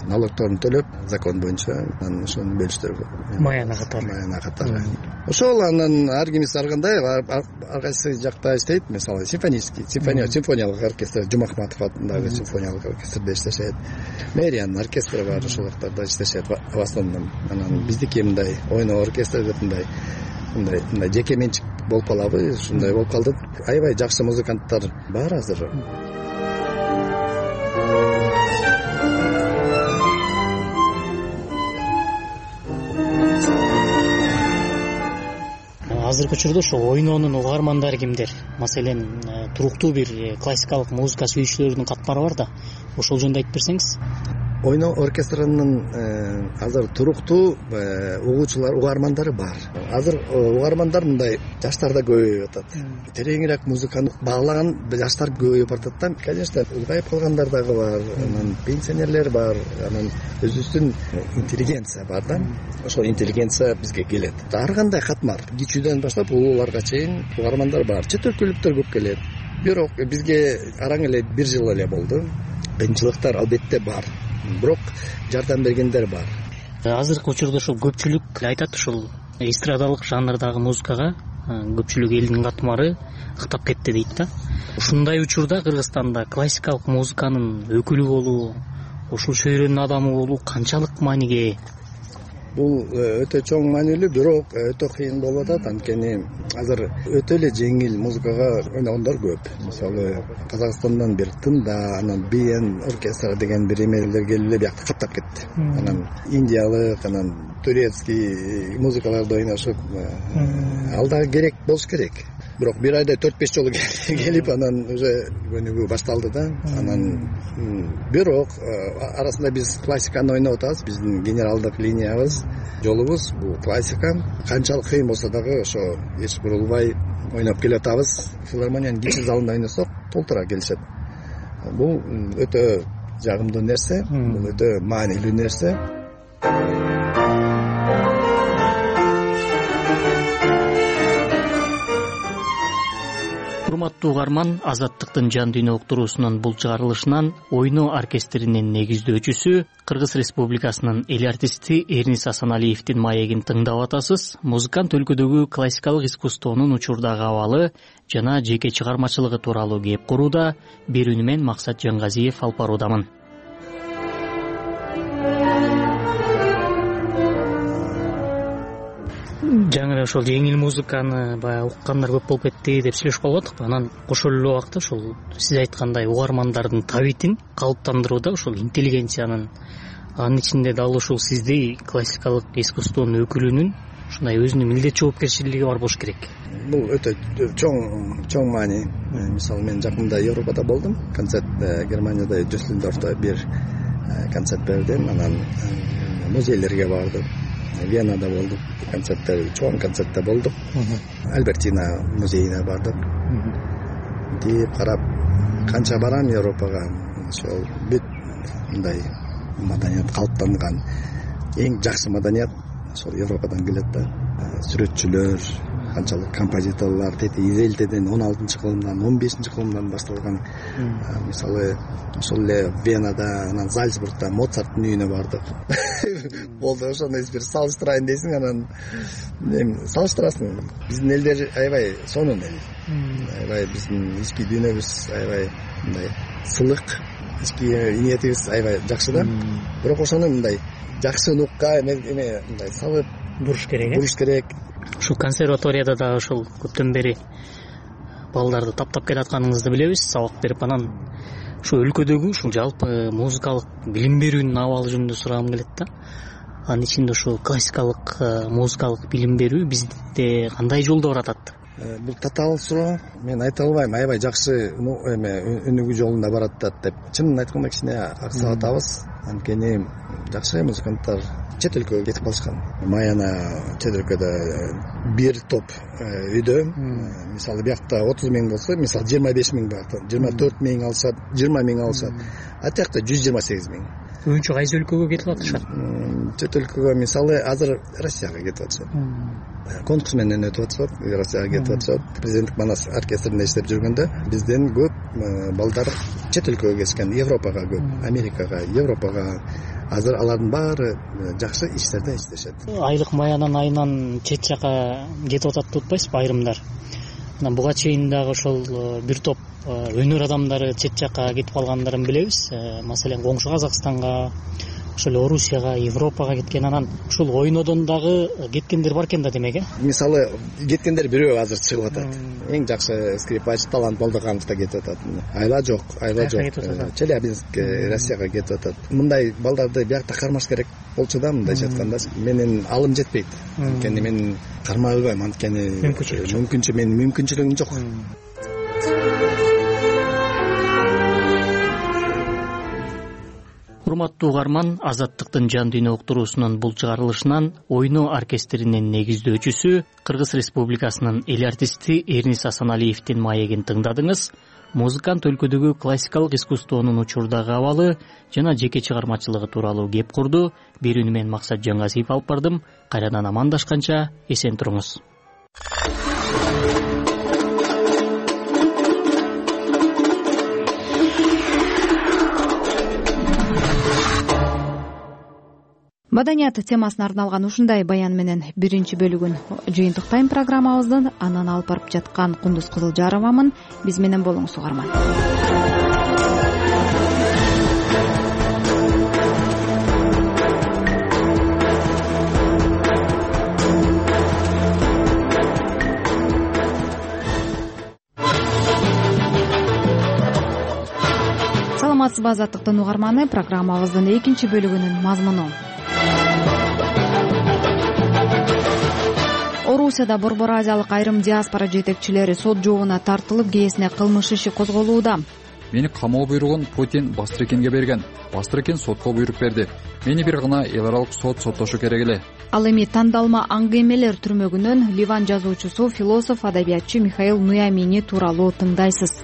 налогторун төлөп, закон боюнча анан ошону бөлүштүрүп. Маяна катары. Маяна катары. Ошол анан ар кимиси ар кандай, ар кайсы жакта иштейт, мисалы симфонический, симфония, симфониялык оркестр, Жумахматов атындагы симфониялык оркестрде иштешет. Мэриянын оркестри бар, ошол жактарда иштешет в основном. Анан биздики мындай ойноо оркестр деп мындай мындай мындай жеке менчик болуп калабы, ушундай болуп калды. Аябай жакшы музыканттар бар азыр. Азыркы учурда ошо ойноонун угармандары кимдер? Маселен, туруктуу бир классикалык музыка сүйүүчүлөрдүн катмары бар да. Ошол жөнүндө айтып берсеңиз. Ойноо оркестринин азыр туруктуу угуучулар, угармандары бар. Азыр угармандар мындай жаштар да көбөйүп атат. Тереңирээк музыканы баалаган жаштар көбөйүп атат да. Конечно, улгайып калгандар дагы бар, анан пенсионерлер бар, анан өзүбүздүн интеллигенция бар да. Ошол интеллигенция бизге келет. Ар кандай катмар, кичүүдөн баштап улууларга чейин угармандар бар. Чет өлкөлүктөр көп келет. Бирок бизге араң эле бир жыл эле болду. Кыйынчылыктар албетте бар. Бирок жардам бергендер бар. Азыркы учурда ушул көпчүлүк айтат, ушул эстрадалык жанрдагы музыкага көпчүлүк элдин катмары ыктап кетти дейт да. Ушундай учурда Кыргызстанда классикалык музыканын өкүлү болуу, ушул чөйрөнүн адамы болуу канчалык мааниге ээ? бул өтө чоң маанилүү, бирок өтө кыйын болуп атат. Анткени азыр өтө эле жеңил музыкага ойногондор көп. Мисалы Казакстандан бир тында, анан би эн оркестр деген бир эмелер келип эле биякта каптап кетти. Анан индиялык, анан турецкий музыкаларды ойношуп, ал дагы керек болуш керек. Бирок бир айда төрт беш жолу келип, анан уже көнүгүү башталды да. Анан бирок арасында биз классиканы ойноп атабыз. Биздин генералдык линиябыз, жолубуз бул классика. Канчалык кыйын болсо дагы ошо эч бурулбай ойноп келатабыз. Филармониянын кичи залында ойносок толтура келишет. Бул өтө жагымдуу нерсе, бул өтө маанилүү нерсе. Урматтуу угарман, Азаттыктын жан дүйнө уктуруусунун бул чыгарылышынан ойноо оркестринин негиздөөчүсү, Кыргыз Республикасынын эл артисти Эрнис Асаналиевдин маегин тыңдап атасыз. Музыкант өлкөдөгү классикалык искусствонун учурдагы абалы жана жеке чыгармачылыгы тууралуу кеп курууда. Берүүнү мен Максат Жангазиев алып баруудамын. Жаңы эле ошол жеңил музыканы баягы уккандар көп болуп кетти деп сүйлөшүп калып атыкпы. Анан кошо эле убакта ошол сиз айткандай угармандардын табитин калыптандырууда ошол интеллигенциянын, анын ичинде дал ушул сиздей классикалык искусствонун өкүлүнүн ушундай өзүнүн милдет жоопкерчилиги бар болуш керек. Бул өтө чоң чоң маани. Мисалы мен жакында Европада болдум. Концерт Германияда, Дюссельдорфто бир концерт бердим. Анан музейлерге бардым. Венада болдук, концерттер, чоң концертте болдук. Альбертина музейине бардык. Деп карап, канча барам Европага, ошол бүт мындай маданият калыптанган, эң жакшы маданият ошол Европадан келет да. Сүрөтчүлөр, канчалык композиторлор, тети Изелтеден он алтынчы кылымдан, он бешинчи кылымдан башталган. Мисалы ошол эле Венада, анан Зальцбургда Моцарттын үйүнө бардык. Болду, ошону бир салыштырайын дейсиң, анан эми салыштырасың. Биздин элдер аябай сонун эл. Аябай биздин ички дүйнөбүз аябай мындай сылык, ички ниетибиз аябай жакшы да. Бирок ошону мындай жакшы нукка эме мындай салып буруш керек. Буруш керек. Ушул консерваторияда да ошол көптөн бери балдарды таптап келатканыңызды билебиз, сабак берип. Анан ушу өлкөдөгү ушул жалпы музыкалык билим берүүнүн абалы жөнүндө сурагым келет да. Анын ичинде ушу классикалык музыкалык билим берүү бизде кандай жолдо баратат? Бул татаал суроо. Мен айта албайм, аябай жакшы эме өнүгүү жолунда баратат деп. Чынын айтканда кичине аксап атабыз. Анткени жакшы музыканттар чет өлкөгө кетип калышкан. Маяна чет өлкөдө бир топ үйдө, мисалы биякта отуз миң болсо, мисалы жыйырма беш миң бар, жыйырма төрт миң алышат, жыйырма миң алышат. А тиякта жүз жыйырма сегиз миң. Көбүнчө кайсы өлкөгө кетип атышат? Чет өлкөгө, мисалы азыр Россияга кетип атышат. Конкурс менен өтүп атышат, Россияга кетип атышат. Президенттик Манас оркестринде иштеп жүргөндө бизден көп балдар чет өлкөгө кетишкен, Европага көп, Америкага, Европага. Азыр алардын баары жакшы иштерде иштешет. Айлык Маянан айынан чет жака кетип атат деп атпайсызбы айрымдар? Анан буга чейин дагы ошол бир топ өнөр адамдары чет жака кетип калгандарын билебиз. Маселен, коңшу Казакстанга, ошол Орусияга, Европага кеткен. Анан ушул ойнодон дагы кеткендер бар экен да, демек, э? Мисалы, кеткендер бирөө азыр чыгып атат. Эң жакшы скрипач Талант Балдыканов да кетип атат. Айла жок, айла жок. Челябинск, Россияга кетип атат. Мындай балдарды биякта кармаш керек болчу да, мындайча айтканда. Менин алым жетпейт. Анткени мен кармай албайм, анткени мүмкүнчө менин мүмкүнчүлүгүм жок. Урматтуу угарман, Азаттыктын жан дүйнө уктуруусунун бул чыгарылышынан ойноо оркестринин негиздөөчүсү, Кыргыз Республикасынын эл артисти Эрнис Асаналиевдин маегин тыңдадыңыз. Музыкант өлкөдөгү классикалык искусствонун учурдагы абалы жана жеке чыгармачылыгы тууралуу кеп курду. Берүүнү мен Максат Жангазиев алып бардым. Кайрадан амандашканча эсен туруңуз. Маданият темасына арналган ушундай баян менен биринчи бөлүгүн жыйынтыктайм программабыздын. Анан алып барып жаткан Кундуз Кызылжаровамын. Биз менен болуңуз угарман. саламатсызбы азаттыктын угарманы, программабыздын экинчи бөлүгүнүн мазмуну. Орусияда Борбор Азиялык айрым диаспора жетекчилери сот жообуна тартылып, кээсине кылмыш иши козголууда. Мени камоо буйругун Путин Бастрыкенге берген. Бастрыкен сотко буйрук берди. Мени бир гана эл аралык сот соттошу керек эле. Ал эми тандалма аңгемелер түрмөгүнөн Ливан жазуучусу, философ, адабиятчы Михаил Нуямини тууралуу тыңдайсыз.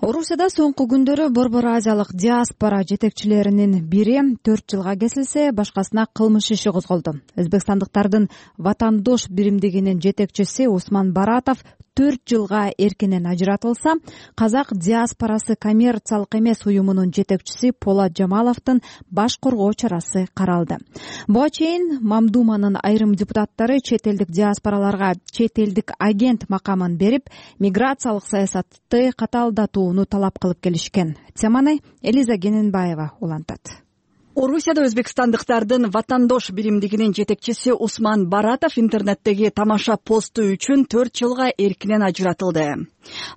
Орусияда соңку күндөрү Борбор Азиялык диаспора жетекчилеринин бири төрт жылга кесилсе, башкасына кылмыш иши козголду. Өзбекстандыктардын Ватандош биримдигинин жетекчиси Усман Баратов төрт жылга эркинен ажыратылса, казак диаспорасы коммерциялык эмес уюмунун жетекчиси Полат Жамаловдун баш коргоо чарасы каралды. Буга чейин Мамдуманын айрым депутаттары чет элдик диаспораларга чет элдик агент макамын берип, миграциялык саясатты катаалдатууну талап кылып келишкен. Теманы Элиза Гененбаева улантат. Орусияда өзбекстандыктардын Ватандош биримдигинин жетекчиси Усман Баратов интернеттеги тамаша посту үчүн төрт жылга эркинен ажыратылды.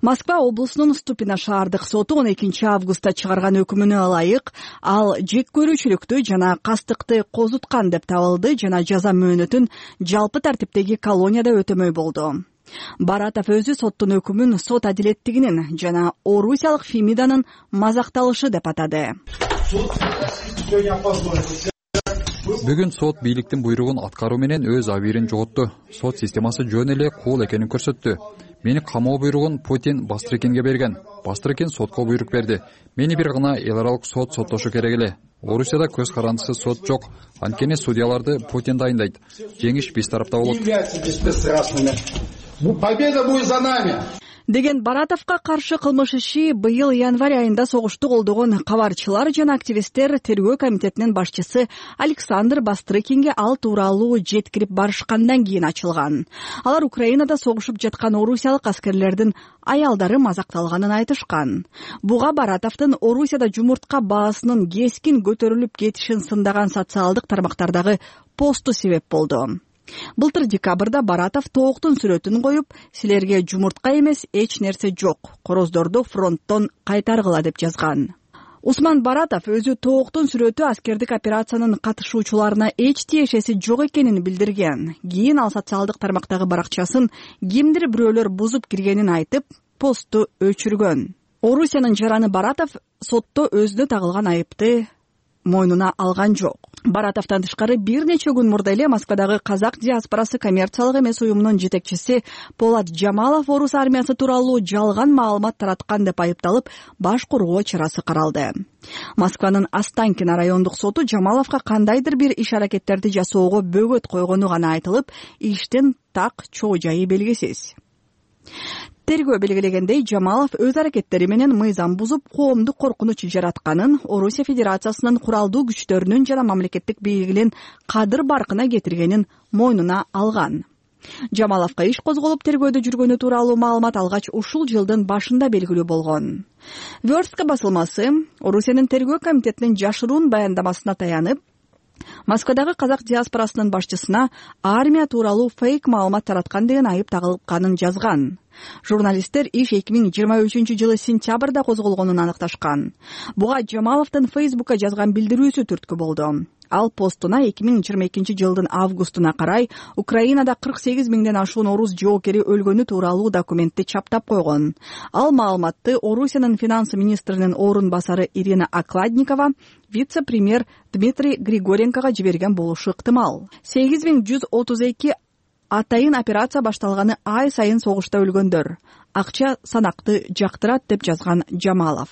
Москва облусунун Ступино шаардык соту он экинчи августта чыгарган өкүмүнө ылайык ал жек көрүүчүлүктү жана кастыкты козуткан деп табылды жана жаза мөөнөтүн жалпы тартиптеги колонияда өтөмөй болду. Баратов өзү соттун өкүмүн сот адилеттигинин жана орусиялык Фемиданын мазакталышы деп атады. Бүгүн сот бийликтин буйругун аткаруу менен өз абийирин жоготту. Сот системасы жөн эле кул экенин көрсөттү. Мени камоо буйругун Путин Бастрыкенге берген. Бастрыкен сотко буйрук берди. Мени бир гана эл аралык сот соттошу керек эле. Орусияда көз карандысыз сот жок. Анткени судьяларды Путин дайындайт. Жеңиш биз тарапта болот. Победа будет за нами. Деген Баратовго каршы кылмыш иши быйыл январь айында согушту колдогон кабарчылар жана активисттер тергөө комитетинин башчысы Александр Бастрыкенге ал тууралуу жеткирип барышкандан кийин ачылган. Алар Украинада согушуп жаткан орусиялык аскерлердин аялдары мазакталганын айтышкан. Буга Баратовдун Орусияда жумуртка баасынын кескин көтөрүлүп кетишин сындаган социалдык тармактардагы посту себеп болду. Былтыр декабрда Баратов тооктун сүрөтүн коюп, силерге жумуртка эмес эч нерсе жок, короздорду фронттон кайтаргыла деп жазган. Усман Баратов өзү тооктун сүрөтү аскердик операциянын катышуучуларына эч тиешеси жок экенин билдирген. Кийин ал социалдык тармактагы баракчасын кимдир бирөөлөр бузуп киргенин айтып, посту өчүргөн. Орусиянын жараны Баратов сотто өзүнө тагылган айыпты мойнуна алган жок. Баратовдон тышкары бир нече күн мурда эле Москвадагы казак диаспорасы коммерциялык эмес уюмунун жетекчиси Полат Жамалов орус армиясы тууралуу жалган маалымат тараткан деп айыпталып, баш коргоо чарасы каралды. Москванын Останкино райондук соту Жамаловго кандайдыр бир иш-аракеттерди жасоого бөгөт койгону гана айтылып, иштин так чоо жайы белгисиз. Тергөө белгилегендей, Жамалов өз аракеттери менен мыйзам бузуп, коомдук коркунуч жаратканын, Орусия Федерациясынын куралдуу күчтөрүнүн жана мамлекеттик бийлигинин кадыр баркына кетиргенин мойнуна алган. Жамаловго иш козголуп, тергөөдө жүргөнү тууралуу маалымат алгач ушул жылдын башында белгилүү болгон. Верстка басылмасы Орусиянын тергөө комитетинин жашыруун баяндамасына таянып, Москвадагы казак диаспорасынын башчысына армия тууралуу фейк маалымат тараткан деген айып тагылганын жазган. Журналисттер иш эки миң жыйырма үчүнчү жылы сентябрда козголгонун аныкташкан. Буга Жамаловдун Фейсбукка жазган билдирүүсү түрткү болду. Ал постуна эки миң жыйырма экинчи жылдын августуна карай Украинада кырк сегиз миңден ашуун орус жоокери өлгөнү тууралуу документти чаптап койгон. Ал маалыматты Орусиянын финансы министринин орун басары Ирина Окладникова вице-премьер Дмитрий Григоренкого жиберген болушу ыктымал. сегиз миң жүз отуз эки атайын операция башталганы ай сайын согушта өлгөндөр. Акча санакты жактырат деп жазган Жамалов.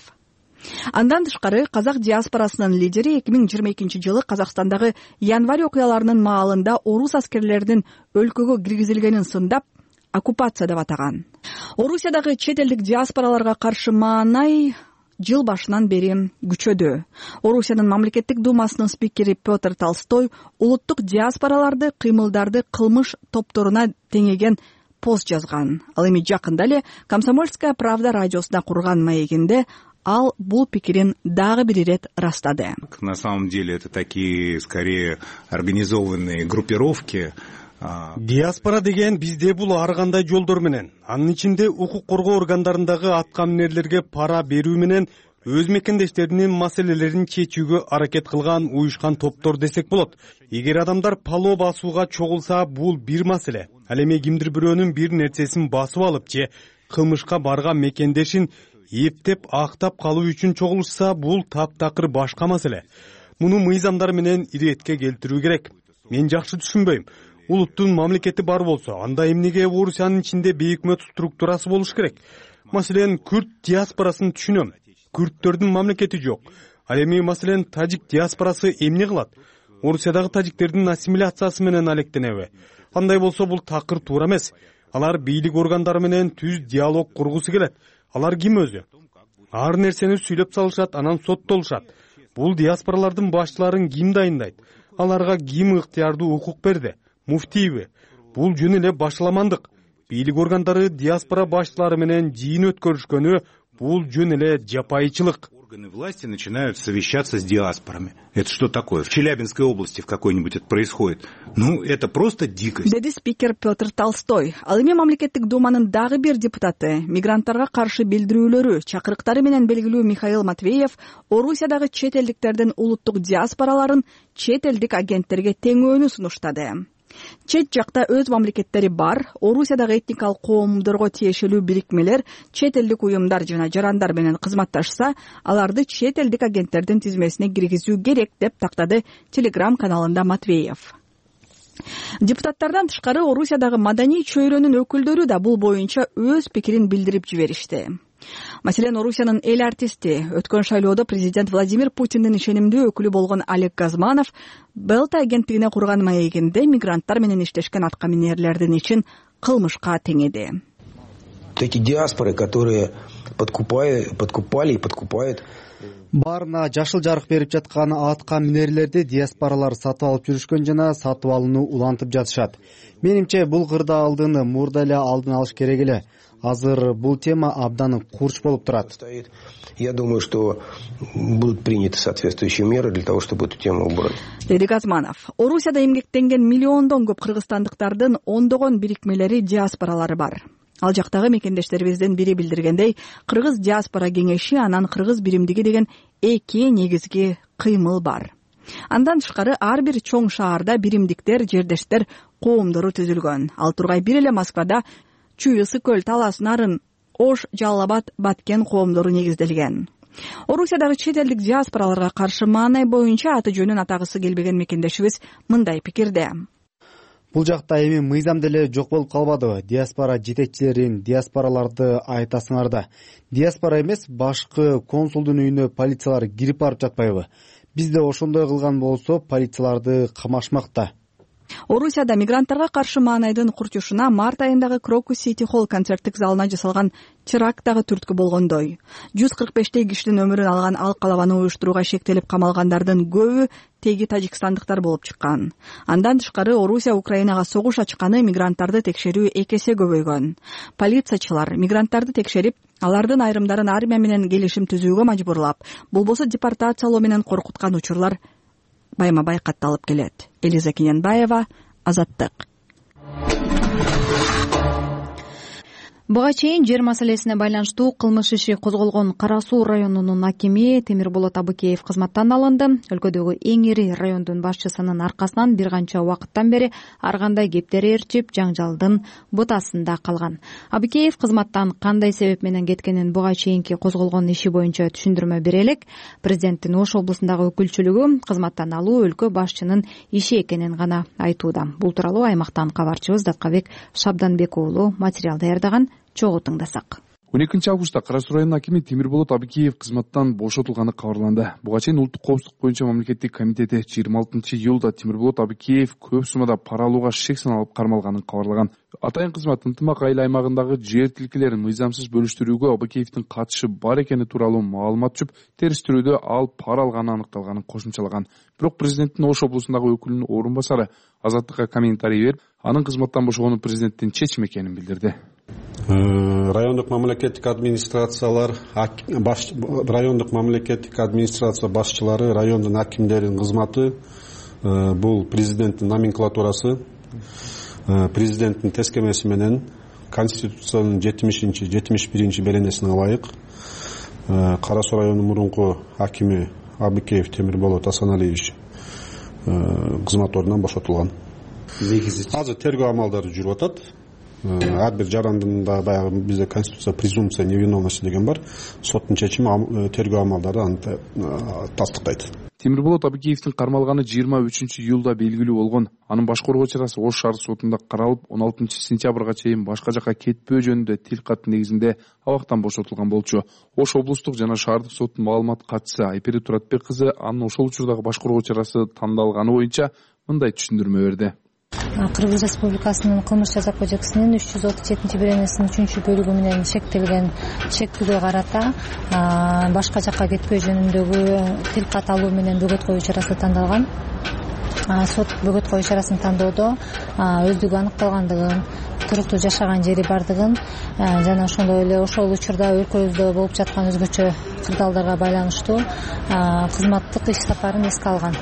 Андан тышкары казак диаспорасынын лидери эки миң жыйырма экинчи жылы Казакстандагы январь окуяларынын маалында орус аскерлеринин өлкөгө киргизилгенин сындап, оккупация деп атаган. Орусиядагы чет элдик диаспораларга каршы маанай жыл башынан бери күчөдө. Орусиянын мамлекеттик думасынын спикери Петр Толстой улуттук диаспораларды, кыймылдарды кылмыш топторуна теңеген пост жазган. Ал эми жакында эле Комсомольская правда радиосуна курган маегинде ал бул пикирин дагы бир ирет растады. На самом деле это такие, скорее, организованные группировки, диаспора деген бизде бул ар кандай жолдор менен, анын ичинде укук коргоо органдарындагы аткаминерлерге пара берүү менен өз мекендештеринин маселелерин чечүүгө аракет кылган уюшкан топтор десек болот. Эгер адамдар пало басууга чогулса, бул бир маселе. Ал эми кимдир бирөөнүн бир нерсесин басып алып же кылмышка барган мекендешин эптеп актап калуу үчүн чогулушса, бул таптакыр башка маселе. Муну мыйзамдар менен иретке келтирүү керек. Мен жакшы түшүнбөйм. Улуттун мамлекети бар болсо, анда эмнеге Орусиянын ичинде бейөкмөт структурасы болуш керек? Маселен, күрд диаспорасын түшүнөм. Күрдтөрдүн мамлекети жок. Ал эми маселен тажик диаспорасы эмне кылат? Орусиядагы тажиктердин ассимиляциясы менен алектенеби? Андай болсо бул такыр туура эмес. Алар бийлик органдары менен түз диалог кургусу келет. Алар ким өзү? Ар нерсени сүйлөп салышат, анан соттолушат. Бул диаспоралардын башчыларын ким дайындайт? Аларга ким ыктыярдуу укук берди? Муфтийби? Бул жөн эле башаламандык. Бийлик органдары диаспора башчылары менен жыйын өткөрүшкөнү бул жөн эле жапайычылык. Органы власти начинают совещаться с диаспорами. Это что такое? В Челябинской области в какой-нибудь это происходит? Ну, это просто дикость. Деди спикер Петр Толстой. Ал эми мамлекеттик думанын дагы бир депутаты, мигранттарга каршы билдирүүлөрү, чакырыктары менен белгилүү Михаил Матвеев Орусиядагы чет элдиктердин улуттук диаспораларын чет элдик агенттерге теңөөнү сунуштады. Чет жакта өз мамлекеттери бар, Орусиядагы этникалык коомдорго тиешелүү бирикмелер, чет элдик уюмдар жана жарандар менен кызматташса, аларды чет элдик агенттердин тизмесине киргизүү керек деп тактады Телеграм каналында Матвеев. Депутаттардан тышкары Орусиядагы маданий чөйрөнүн өкүлдөрү да бул боюнча өз пикирин билдирип жиберишти. Маселен, Орусиянын эл артисти, өткөн шайлоодо президент Владимир Путиндин ишенимдүү өкүлү болгон Олег Газманов Белта агенттигине курган маегинде мигранттар менен иштешкен аткаминерлердин ичин кылмышка теңеди. Эти диаспоры, которые подкупали и подкупают. Баарына жашыл жарык берип жаткан аткаминерлерди диаспоралар сатып алып жүрүшкөн жана сатып алууну улантып жатышат. Менимче бул кырдаалдыны мурда эле алдын алыш керек эле. Азыр бул тема абдан курч болуп турат. Я думаю, что будут приняты соответствующие меры для того, чтобы эту тему убрать. Деди Газманов. Орусияда эмгектенген миллиондон көп кыргызстандыктардын ондогон бирикмелери диаспоралары бар. Ал жактагы мекендештерибиздин бири билдиргендей, Кыргыз диаспора кеңеши анан Кыргыз биримдиги деген эки негизги кыймыл бар. Андан тышкары ар бир чоң шаарда биримдиктер, жердештер коомдору түзүлгөн. Ал тургай бир эле Москвада Чүй, Ысык көл, Талас, Нарын, Ош, Жалал Абад, Баткен коомдору негизделген. Орусиядагы чет элдик диаспораларга каршы маанай боюнча аты жөнүн атагысы келбеген мекендешибиз мындай пикирде. Бул жакта эми мыйзам деле жок болуп калбадыбы? Диаспора жетекчилерин, диаспораларды айтасыңар да. Диаспора эмес, башкы консулдун үйүнө полициялар кирип барып жатпайбы? Бизде ошондой кылган болсо, полицияларды камашмак да. Орусияда мигранттарга каршы маанайдын курчушуна март айындагы Крокус Сити Холл концерттик залына жасалган теракт дагы түрткү болгондой. жүз кырк бештей кишинин өмүрүн алган ал калабаны уюштурууга шектелип камалгандардын көбү теги тажикстандыктар болуп чыккан. Андан тышкары Орусия Украинага согуш ачканы мигранттарды текшерүү эки эсе көбөйгөн. Полициячылар мигранттарды текшерип, алардын айрымдарын армия менен келишим түзүүгө мажбурлап, болбосо депортациялоо менен коркуткан учурлар байма-бай катталып келет. Элиза Кененбаева, Азаттык. Буга чейин жер маселесине байланыштуу кылмыш иши козголгон Кара Суу районунун акими Темирболот Абыкеев кызматтан алынды. Өлкөдөгү эң ири райондун башчысынын аркасынан бир канча убакыттан бери ар кандай кептер ээрчип, жаңжалдын бутасында калган. Абыкеев кызматтан кандай себеп менен кеткенин буга чейинки козголгон иши боюнча түшүндүрмө бере элек. Президенттин Ош облусундагы өкүлчүлүгү кызматтан алуу өлкө башчынын иши экенин гана айтууда. Бул тууралуу аймактан кабарчыбыз Даткабек Шабданбек уулу материал даярдаган. Чогуу тыңдасак. он экинчи августта Кара Суу районунун акими Темирболот Абыкеев кызматтан бошотулганы кабарланды. Буга чейин улуттук коопсуздук боюнча мамлекеттик комитети жыйырма алтынчы июлда Темирболот Абыкеев көп суммада пара алууга шек саналып кармалганын кабарлаган. Атайын кызмат ынтымак айыл аймагындагы жер тилкелерин мыйзамсыз бөлүштүрүүгө Абыкеевдин катышы бар экени тууралуу маалымат түшүп, териштирүүдө ал пара алганы аныкталганын кошумчалаган. Бирок президенттин Ош облусундагы өкүлүнүн орун басары Азаттыкка комментарий берип, анын кызматтан бошогону президенттин чечими экенин билдирди. Райондук мамлекеттик администрациялар, райондук мамлекеттик администрация башчылары, райондун акимдеринин кызматы бул президенттин номенклатурасы. президенттин тескемеси менен конституциянын жетимишинчи жетимиш биринчи беренесине ылайык Кара Суу районунун мурунку акими Абыкеев Темирболот Асаналиевич кызмат ордунан бошотулган. Азыр тергөө амалдары жүрүп атат. Ар бир жарандында баягы бизде конституция презумпция невиновности деген бар. Соттун чечими тергөө амалдары аны тастыктайт. Темирболот Абыкеевдин кармалганы жыйырма үчүнчү июлда белгилүү болгон. Анын баш коргоо чарасы Ош шаар сотунда каралып, он алтынчы сентябрга чейин башка жакка кетпөө жөнүндө тил кат негизинде абактан бошотулган болчу. Ош облустук жана шаардык соттун маалымат катчысы Айпери Туратбек кызы анын ошол учурдагы баш коргоо чарасы тандалганы боюнча мындай түшүндүрмө берди. Кыргыз Республикасынын кылмыш жаза кодексинин үч жүз отуз жетинчи беренесинин үчүнчү бөлүгү менен шектелген чектүүгө карата башка жакка кетпөө жөнүндөгү тил кат алуу менен бөгөт коюу чарасы тандалган. Сот бөгөт коюу чарасын тандоодо өздүгү аныкталгандыгын, туруктуу жашаган жери бардыгын жана ошондой эле ошол учурда өлкөбүздө болуп жаткан өзгөчө кырдаалдарга байланыштуу кызматтык иш сапарын эске алган.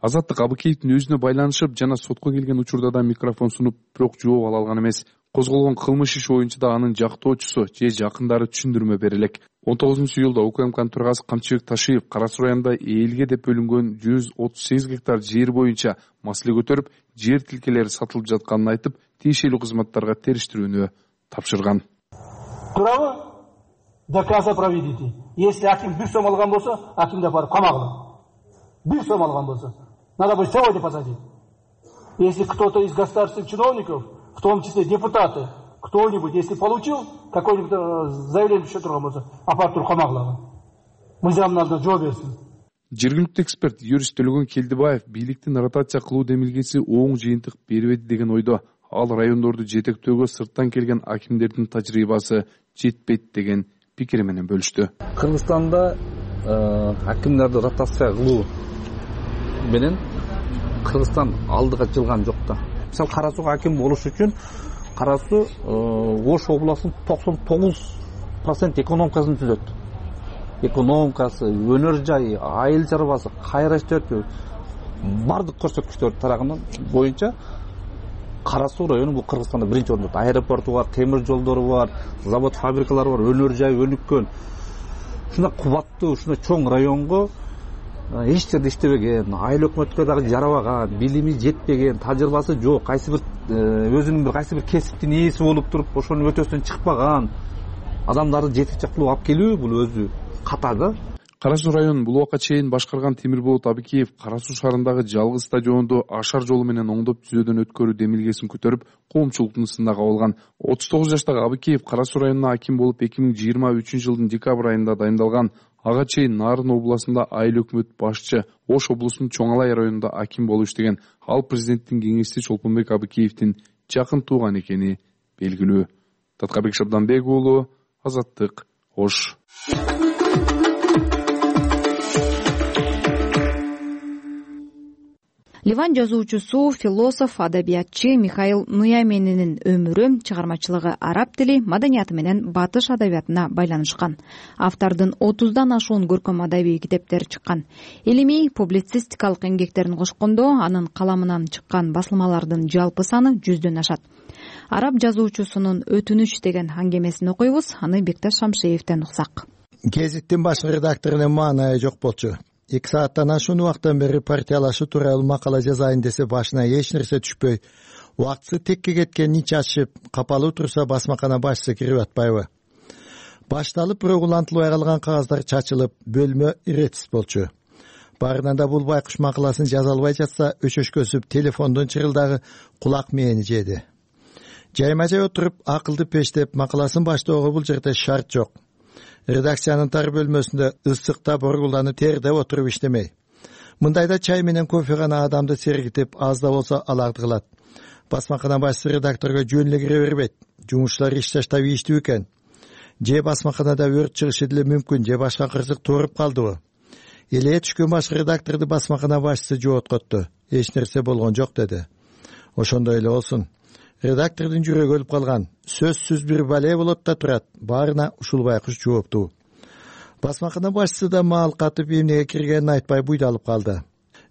Азаттык Абыкеевдин өзүнө байланышып жана сотко келген учурда да микрофон сунуп, бирок жооп ала алган эмес. Козголгон кылмыш иши боюнча да анын жактоочусу же жакындары түшүндүрмө бере элек. он тогузунчу июлда УКМКнын төрагасы Камчыбек Ташиев Кара Суу районунда элге деп бөлүнгөн жүз отуз сегиз гектар жер боюнча маселе көтөрүп, жер тилкелери сатылып жатканын айтып, тиешелүү кызматтарга териштирүүнү тапшырган. Туурабы? Доказа проведите. Если аким бир сом алган болсо, акимди апарып камагыла. Бир сом алган болсо, надо будет сегодня посадить. Если кто-то из государственных чиновников, в том числе депутаты, кто-нибудь, если получил какое-нибудь заявление еще турган болсо, апарып туруп камагыла. Мыйзам надо жооп берсин. Жергиликтүү эксперт юрист Төлөгөн Келдибаев бийликтин ротация кылуу демилгеси оң жыйынтык бербеди деген ойдо. Ал райондорду жетектөөгө сырттан келген акимдердин тажрыйбасы жетпейт деген пикири менен бөлүштү. Кыргызстанда акимдерди ротация кылуу менен Кыргызстан алдыга жылган жок да. Мисалы Кара Сууга аким болуш үчүн Кара Суу Ош областынын токсон тогуз процент экономикасын түзөт. Экономикасы, өнөр жайы, айыл чарбасы, кайра иштөө бардык көрсөткүчтөр тарагынан боюнча Кара Суу району бул Кыргызстанда биринчи орунда. Аэропорту бар, темир жолдору бар, завод, фабрикалары бар, өнөр жайы өнүккөн. Ушундай кубаттуу, ушундай чоң районго эч жерде иштебеген, айыл өкмөткө дагы жарабаган, билими жетпеген, тажрыйбасы жок, кайсы бир өзүнүн бир кайсы бир кесиптин ээси болуп туруп, ошонун өтөсүнөн чыкпаган адамдарды жетекчи кылып алып келүү бул өзү ката да. Кара Суу районун бул убакка чейин башкарган Темирболот Абыкеев Кара Суу шаарындагы жалгыз стадионду ашар жолу менен оңдоп түзөөдөн өткөрүү демилгесин көтөрүп, коомчулуктун ысына кабылган. отуз тогуз жаштагы Абыкеев Кара Суу районуна аким болуп эки миң жыйырма үчүнчү жылдын декабрь айында дайындалган. Ага чейин Нарын областында айыл өкмөт башчы, Ош облусунун Чоң Алай районунда аким болуп иштеген. Ал президенттин кеңешчиси Чолпонбек Абыкеевдин жакын тууган экени белгилүү. Таткабек Шабданбек уулу, Азаттык, Ош. Ливан жазуучусу, философ, адабиятчы Михаил Нуяменинин өмүрү, чыгармачылыгы араб тили, маданияты менен батыш адабиятына байланышкан. Автордун отуздан ашуун көркөм адабий китептери чыккан. Илимий, публицистикалык эмгектерин кошкондо анын каламынан чыккан басылмалардын жалпы саны жүздөн ашат. Араб жазуучусунун «Өтүнүч» деген аңгемесин окуйбуз, аны Бекташ Шамшеевден уксак. Гезиттин баш редакторунун маанайы жок болчу. эки сааттан ашуун убакыттан бери партиялашуу тууралуу макала жазайын десе башына эч нерсе түшпөй, убактысы текке кеткенин ичи ачышып, капалуу турса басмакана башчысы кирип атпайбы? Башталып бирок улантылбай калган кагаздар чачылып, бөлмө иретсиз болчу. Барынан да бул байкуш макаласын жаза албай жатса, өчөшкөсүп телефондун чырылдагы кулак мээни жеди. Жайма-жай отуруп, акылды пештеп макаласын баштоого бул жерде шарт жок. Редакциянын тар бөлмөсүндө ысыкта боргулданып тердеп отуруп иштемей. Мындайда чай менен кофе гана адамды сергитип, аз да болсо аларды кылат. Басмакана башчысы редакторго жөн эле кире бербейт. Жумушчулар иш таштап ийиштүү экен. Же басмаканада өрт чыгышы деле мүмкүн, же башка кырсык тууруп калдыбы? Эле түшкөн башкы редакторду басмакана башчысы жооткотту. Эч нерсе болгон жок деди. Ошондой эле болсун. Редактордун жүрөгү өлүп калган. Сөзсүз бир бале болот да турат. Баарына ушул байкуш жооптуу. Басмакана башчысы да маал катып эмнеге киргенин айтпай буйдалып калды.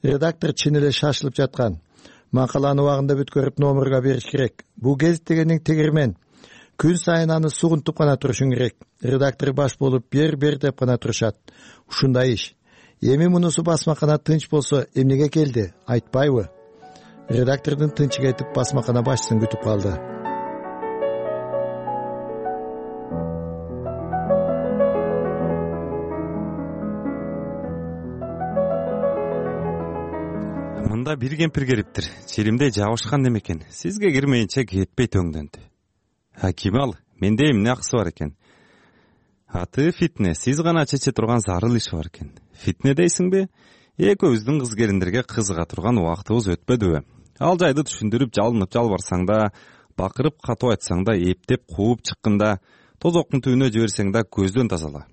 Редактор чын эле шашылып жаткан. Макаланы убагында бүткөрүп номурга бериш керек. Бул гезит дегениң тегирмен. Күн сайын аны сугунтуп гана турушуң керек. Редактор баш болуп бер бер деп гана турушат. Ушундай иш. Эми мунусу басмакана тынч болсо эмнеге келди, айтпайбы? Редактордун тынчы кетип басмакана башчысын күтүп калды. Мында бир кемпир келиптир. Челимде жабышкан немекен. Сизге кирмейинче кетпей төңдөндү. А ким ал? Менде эмне акысы бар экен? Аты Фитне. Сиз гана чече турган зарыл иш бар экен. Фитне дейсиңби? Экөөбүздүн кыз келиндерге кызыга турган убактыбыз өтпөдүбү? Ал жайды түшүндүрүп жалынып жалбарсаң да, бакырып катуу айтсаң да, эптеп кууп чыкканда, тозоктун түбүнө жиберсең да көздөн тазала.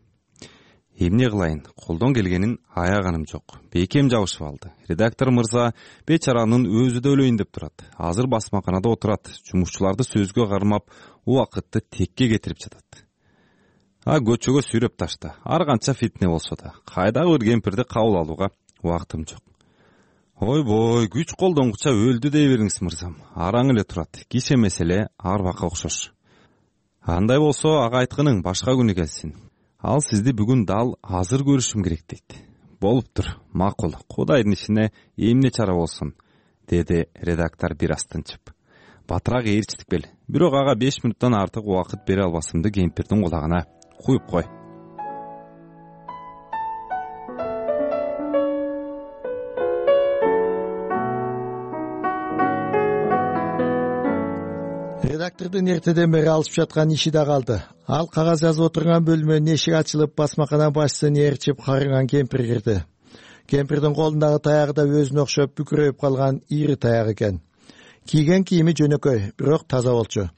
Эмне кылайын? Колдон келгенин аяганым жок. Бекем жабышып алды. Редактор мырза бечаранын өзү да өлөйүн деп турат. Азыр басмаканада отурат. Жумушчуларды сөзгө кармап, убакытты текке кетирип жатат. А көчөгө сүйрөп ташта. Ар канча Фитне болсо да, кайдагы бир кемпирди кабыл алууга убактым жок. Ойбой, күч колдонгуча өлдү дей бериңиз мырзам. Араң эле турат. Кише меселе арбакка окшош. Андай болсо ага айткының башка күнү келсин. Ал сизди бүгүн дал азыр көрүшүм керек дейт. Болуптур, макул. Кудайдын ишине эмне чара болсун, деди редактор бир аз тынчып. Батыраак ээрчитик бел. Бирок ага беш мүнөттөн артык убакыт бере албасымды кемпирдин кулагына куюп кой. Редактордун эртеден бери алышып жаткан иши да калды. Ал кагаз жазып отурган бөлмөнүн эшиги ачылып, басмакана башчысын ээрчип карыган кемпир кирди. Кемпирдин колундагы таягы да өзүнө окшоп бүкүрөйүп калган ири таяк экен. Кийген кийими жөнөкөй, бирок таза болчу.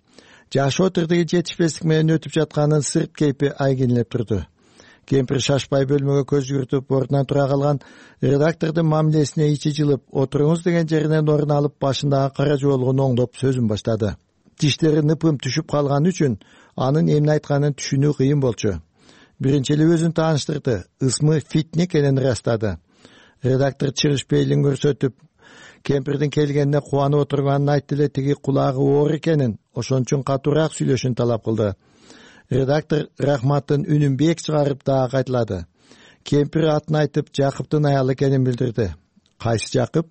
Жашоо тирдиги жетишпестик менен өтүп жатканын сырт кейпи айгинелеп турду. Кемпир шашпай бөлмөгө көз жүгүртүп ордунан тура калган. Редактордун мамилесине ичи жылып, отуруңуз деген жеринен орун алып, башындагы кара жуолугун оңдоп сөзүн баштады. Тиштери ныпым түшүп калган үчүн анын эмне айтканын түшүнүү кыйын болчу. Биринчи эле өзүн тааныштырды, ысмы Фитне экенин ырастады. Редактор чыгыш пейлин көрсөтүп, кемпирдин келгенине кубанып отурганын айтты эле тиги кулагы оор экенин, ошон үчүн катуураак сүйлөшүүнү талап кылды. Редактор рахматтын үнүн бек чыгарып дагы кайталады. Кемпир атын айтып, Жакыптын аялы экенин билдирди. Кайсы Жакып?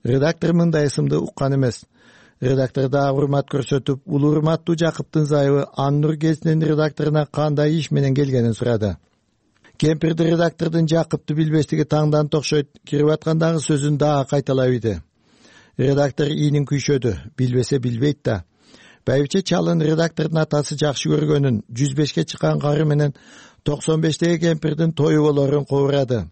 Редактор мындай ысымды уккан эмес. Редактор дагы урмат көрсөтүп, улуу урматтуу Жакыптын зайыбы Аннур гезитинин редакторуна кандай иш менен келгенин сурады. Кемпирди редактордун Жакыпты билбестиги таңданып окшойт, кирип аткандагы сөзүн дагы кайталап ийди. Редактор ийнин күйшөдү, билбесе билбейт да. Байбиче Чалын редактордун атасы жакшы көргөнүн, жүз бешке чыккан кары менен токсон бештеги кемпирдин тою болорун кобурады.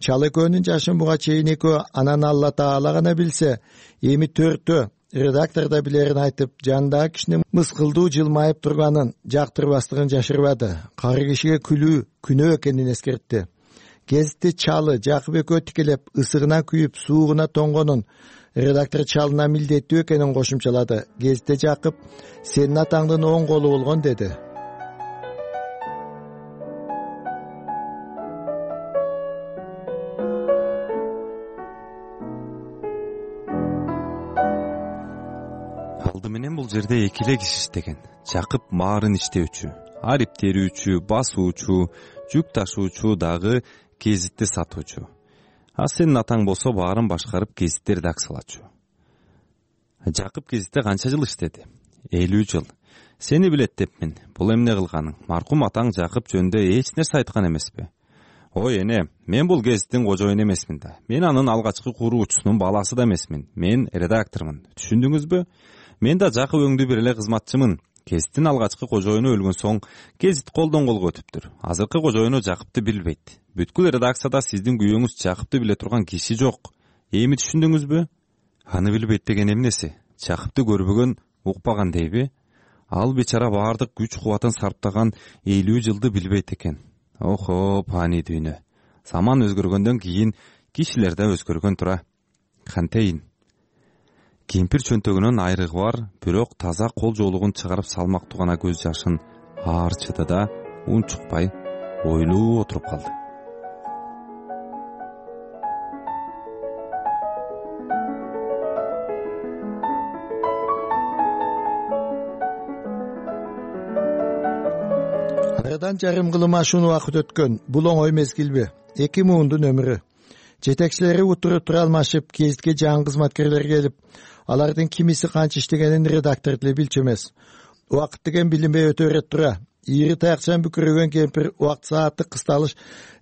Чал экөөнүн жашын буга чейин экөө анан Алла Таала гана билсе, эми төртөө редактор да билерин айтып, жандагы кишинин мыскылдуу жылмайып турганын, жактырбастыгын жашырбады. Кары кишиге күлүү күнөө экенин эскертти. Гезитти Чалы Жакып экөө тикелеп, ысыгына күйүп, суугуна тоңгонун редактор Чалына милдеттүү экенин кошумчалады. Гезитте Жакып, сенин атаңдын оң колу болгон, деди. Алды менен бул жерде эки эле киши иштеген. Жакып баарын иштөөчү, арип терүүчү, басуучу, жүк ташуучу, дагы гезитти сатуучу. А сенин атаң болсо баарын башкарып гезитти редакциялачу. Жакып гезитте канча жыл иштеди? элүү жыл. Сени билет депмин. Бул эмне кылганың? Маркум атаң Жакып жөнүндө эч нерсе айткан эмеспи? Ой эне, мен бул гезиттин кожоюну эмесмин да. Мен анын алгачкы куруучусунун баласы да эмесмин. Мен редактормун. Түшүндүңүзбү? Мен да Жакып өңдүү бир эле кызматчымын. Гезиттин алгачкы кожоюну өлгөн соң гезит колдон колго өтүптүр. Азыркы кожоюну Жакыпты билбейт. Бүткүл редакцияда сиздин күйөөңүз Жакыпты биле турган киши жок. Эми түшүндүңүзбү? Аны билбейт деген эмнеси? Жакыпты көрбөгөн, укпаган дейби? Ал бечара баардык күч кубатын сарптаган элүү жылды билбейт экен. Охо, пани дүйнө. Заман өзгөргөндөн кийин кишилер да өзгөргөн тура. Кантейин. Кемпир чөнтөгүнөн айрыгы бар, бирок таза кол жоолугун чыгарып салмактуу гана көз жашын аарчыды да унчукпай ойлуу отуруп калды. Арадан жарым кылым ашуун убакыт өткөн бул оңой мезгилби? Эки муундун өмүрү. Жетекчилери утуруп тура алмашып, гезитке жаңы кызматкерлер келип, алардын кимиси канча иштегенин редактор деле билчү эмес. Убакыт деген билинбей өтө берет тура. Ийри таякчан бүкүрөгөн кемпир убакыт саатты кысталыш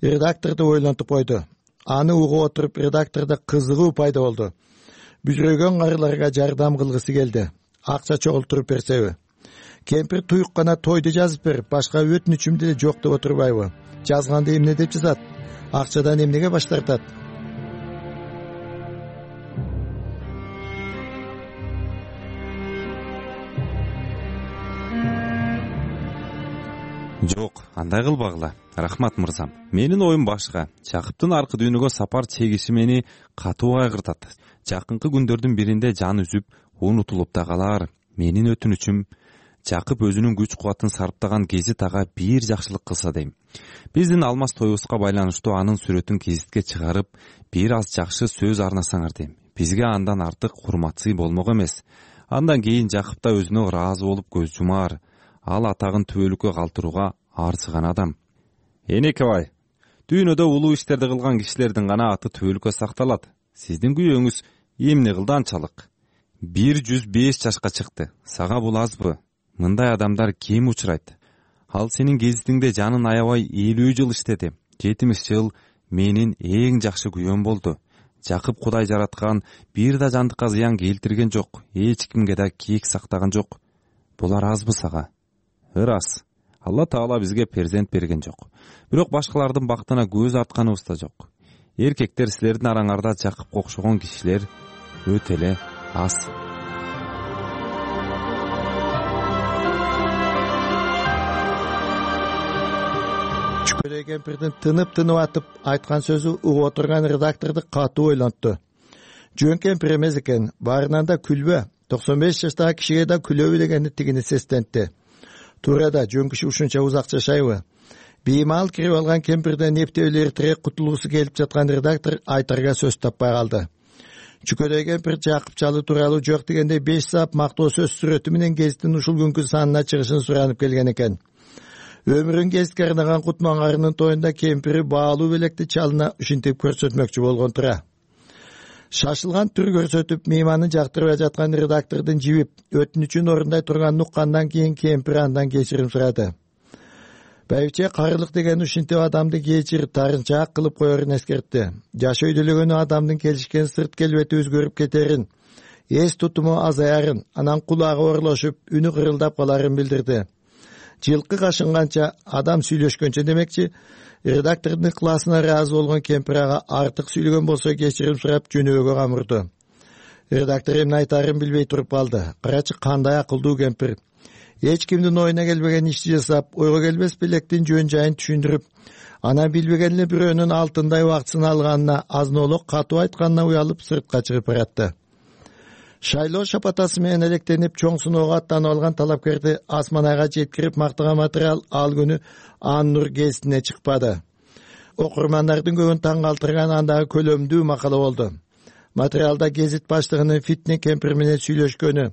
редакторду ойлонтуп койду. Аны угуп отуруп редактордо кызыгуу пайда болду. Бүжүрөгөн карыларга жардам кылгысы келди. Акча чогултуруп берсеби? Кемпир туюк гана тойду жазып бер, башка өтүнүчүм деле жок деп отурбайбы? Жазганды эмне деп жазат? Акчадан эмнеге баш тартат? Жок, андай кылбагыла. Рахмат мырзам. Менин оюм башка. Жакыптын аркы дүйнөгө сапар чегиши мени катуу кайгыртат. Жакынкы күндөрдүн биринде жан үзүп, унутулуп да калар. Менин өтүнүчүм Жакып өзүнүн күч кубатын сарптаган гезит ага бир жакшылык кылса дейм. Биздин алмаз тоюбузга байланыштуу анын сүрөтүн гезитке чыгарып, бир аз жакшы сөз арнасаңар дейм. Бизге андан артык урматсый болмок эмес. Андан кийин Жакып да өзүнө ыраазы болуп көз жумаар. Ал атагын түбөлүккө калтырууга арзыган адам. Энекебай, дүйнөдө улуу иштерди кылган кишилердин гана аты түбөлүккө сакталат. Сиздин күйөөңүз эмне кылды анчалык? бир жүз беш жашка чыкты. Сага бул азбы? Мындай адамдар кем учурайт? Ал сенин гезитиңде жанын аябай элүү жыл иштеди. жетимиш жыл менин эң жакшы күйөөм болду. Жакып Кудай жараткан, бир да жандыкка зыян келтирген жок, эч кимге да кек сактаган жок. Булар азбы сага? Ырас. Алла Таала бизге перзент берген жок. Бирок башкалардын бактына көз артканыбыз да жок. Эркектер, силердин араңарда Жакыпка окшогон кишилер өтө эле аз. Чүкөрөй кемпирдин тынып-тынып атып айткан сөзү угуп отурган редакторду катуу ойлонту. Жөн кемпир эмес экен, баарынан да күлбө. токсон беш жаштагы кишиге да күлөбү дегени тигини сестентти. Туура да, жөн киши ушунча узак жашайбы? Беймал кирип алган кемпирден эптебил эртерээк кутулгусу келип жаткан редактор айтарга сөз таппай калды. Чүкөрөй кемпир Жакып Чалы тууралуу жок дегенде беш саап мактоо сөз сүрөтү менен гезиттин ушул күнкү санына чыгышын суранып келген экен. Өмүрүн гезитке арнаган Кутман тоюнда кемпири баалуу белекти Чалына ушинтип көрсөтмөкчү болгон тура. Шашылган түр көрсөтүп мейманын жактырбай жаткан редактордун жибип өтүнүчүн орундай турганын уккандан кийин кемпир андан кечирим сурады. Байбиче карылык деген ушинтип адамды кечир, тарынчаак кылып коерун эскертти. Жаш өйдөлөгөнү адамдын келишкен сырт келбети өзгөрүп кетерин, эс тутуму азаярын, анан кулагы орлошуп, үнү кырылдап каларын билдирди. Жылкы кашынганча адам сүйлөшкөнчө демекчи, редактордун ыкыласына ыраазы болгон кемпир ага артык сүйлөгөн болсо кечирим сурап жөнөбөгө камырды. Редактор эмне айтарын билбей туруп калды. Карачы кандай акылдуу кемпир. Эч кимдин оюна келбеген ишти жасап, ойго келбес белектин жөн жайын түшүндүрүп, анан билбеген эле бирөөнүн алтындай убактысын алганына, азнолок катуу айтканына уялып сыртка чыгып баратты. Шайлоо шапатасы менен электенип чоң сыноого аттанып алган талапкерди Асман айга жеткирип мактаган материал ал күнү Ан Нур гезитине чыкпады. Окурмандардын көбүн таң калтырган андагы көлөмдүү макала болду. Материалда гезит баштыгынын Фитне кемпир менен сүйлөшкөнү,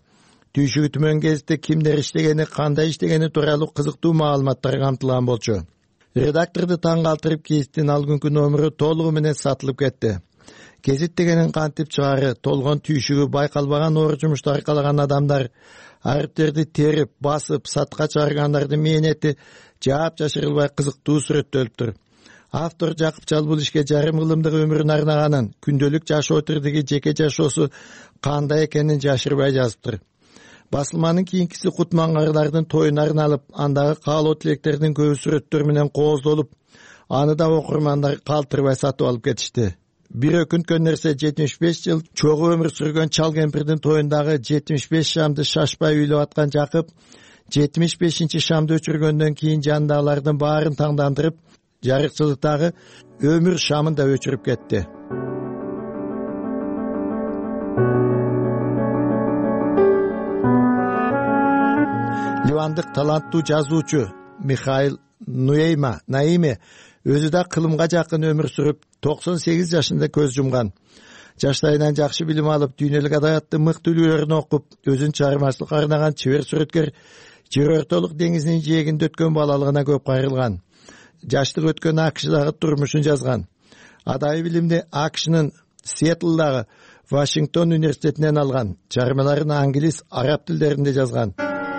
түйшүгү түмөн гезитте кимдер иштегени, кандай иштегени тууралуу кызыктуу маалыматтар камтылган болчу. Редакторду таң калтырып гезиттин ал күнкү номеру толугу менен сатылып кетти. Гезит дегенин кантип чыгары, толгон түйшүгү байкалбаган оор жумушту аркалаган адамдар, ариптерди терип, басып, сатка чыгаргандардын мээнети жаап жашырылбай кызыктуу сүрөттөлүптүр. Автор Жакып Чал бул ишке жарым кылымдык өмүрүн арнаганын, күндөлүк жашоо тирдиги жеке жашоосу кандай экенин жашырбай жазыптыр. Басылманын кийинкиси Кутман тоюна арналып, андагы каалоо тилектердин көбү сүрөттөр менен кооздолуп, аны да окурмандар калтырбай сатып алып кетишти. Бир өкүнткөн нерсе, жетимиш беш жыл чогуу өмүр сүргөн Чал кемпирдин тоюндагы жетимиш беш шамды шашпай үйлөп аткан Жакып жетимиш бешинчи шамды өчүргөндөн кийин жандагылардын баарын таңдандырып, жарыкчылыктагы өмүр шамын да өчүрүп кетти. Ливандык таланттуу жазуучу Михаил Нуэйма Наиме өзү да кылымга жакын өмүр сүрүп, токсон сегиз жашында көз жумган. Жаштайынан жакшы билим алып, дүйнөлүк адабиятты мыкты үлгүлөрүн окуп, өзүн чыгармачылыкка арнаган чебер сүрөткер жерортолук деңизинин жээгинде өткөн балалыгына көп кайрылган. Жаштык өткөн АКШдагы турмушун жазган. Адабий билимди АКШнын Сиэтлдагы Вашингтон университетинен алган. Чыгармаларын англис, араб тилдеринде жазган.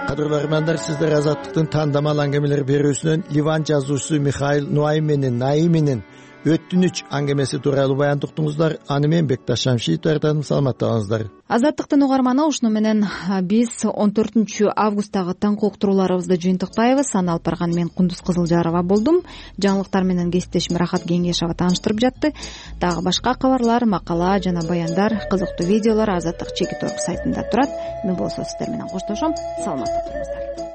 Кадырлуу көрөрмандар, сиздер Азаттыктын тандамал аңгемелер берүүсүнөн Ливан жазуучусу Михаил Нуайменин Наиминин өттүнүч аңгемеси тууралуу баян уктуңуздар. Аны мен Бекташ Шамшиев даярдадым. Саламатта болуңуздар. Азаттыктын угарманы, ушуну менен биз он төртүнчү августтагы таңкы уктурууларыбызды жыйынтыктайбыз. Аны алып барган мен Кундуз Кызылжарова болдум. Жаңылыктар менен кесиптешим Рахат Кеңешова тааныштырып жатты. Дагы башка кабарлар, макала жана баяндар, кызыктуу видеолор Азаттык чеки торк сайтында турат. Мен болсо сиздер менен коштошом. Саламатта туруңуздар.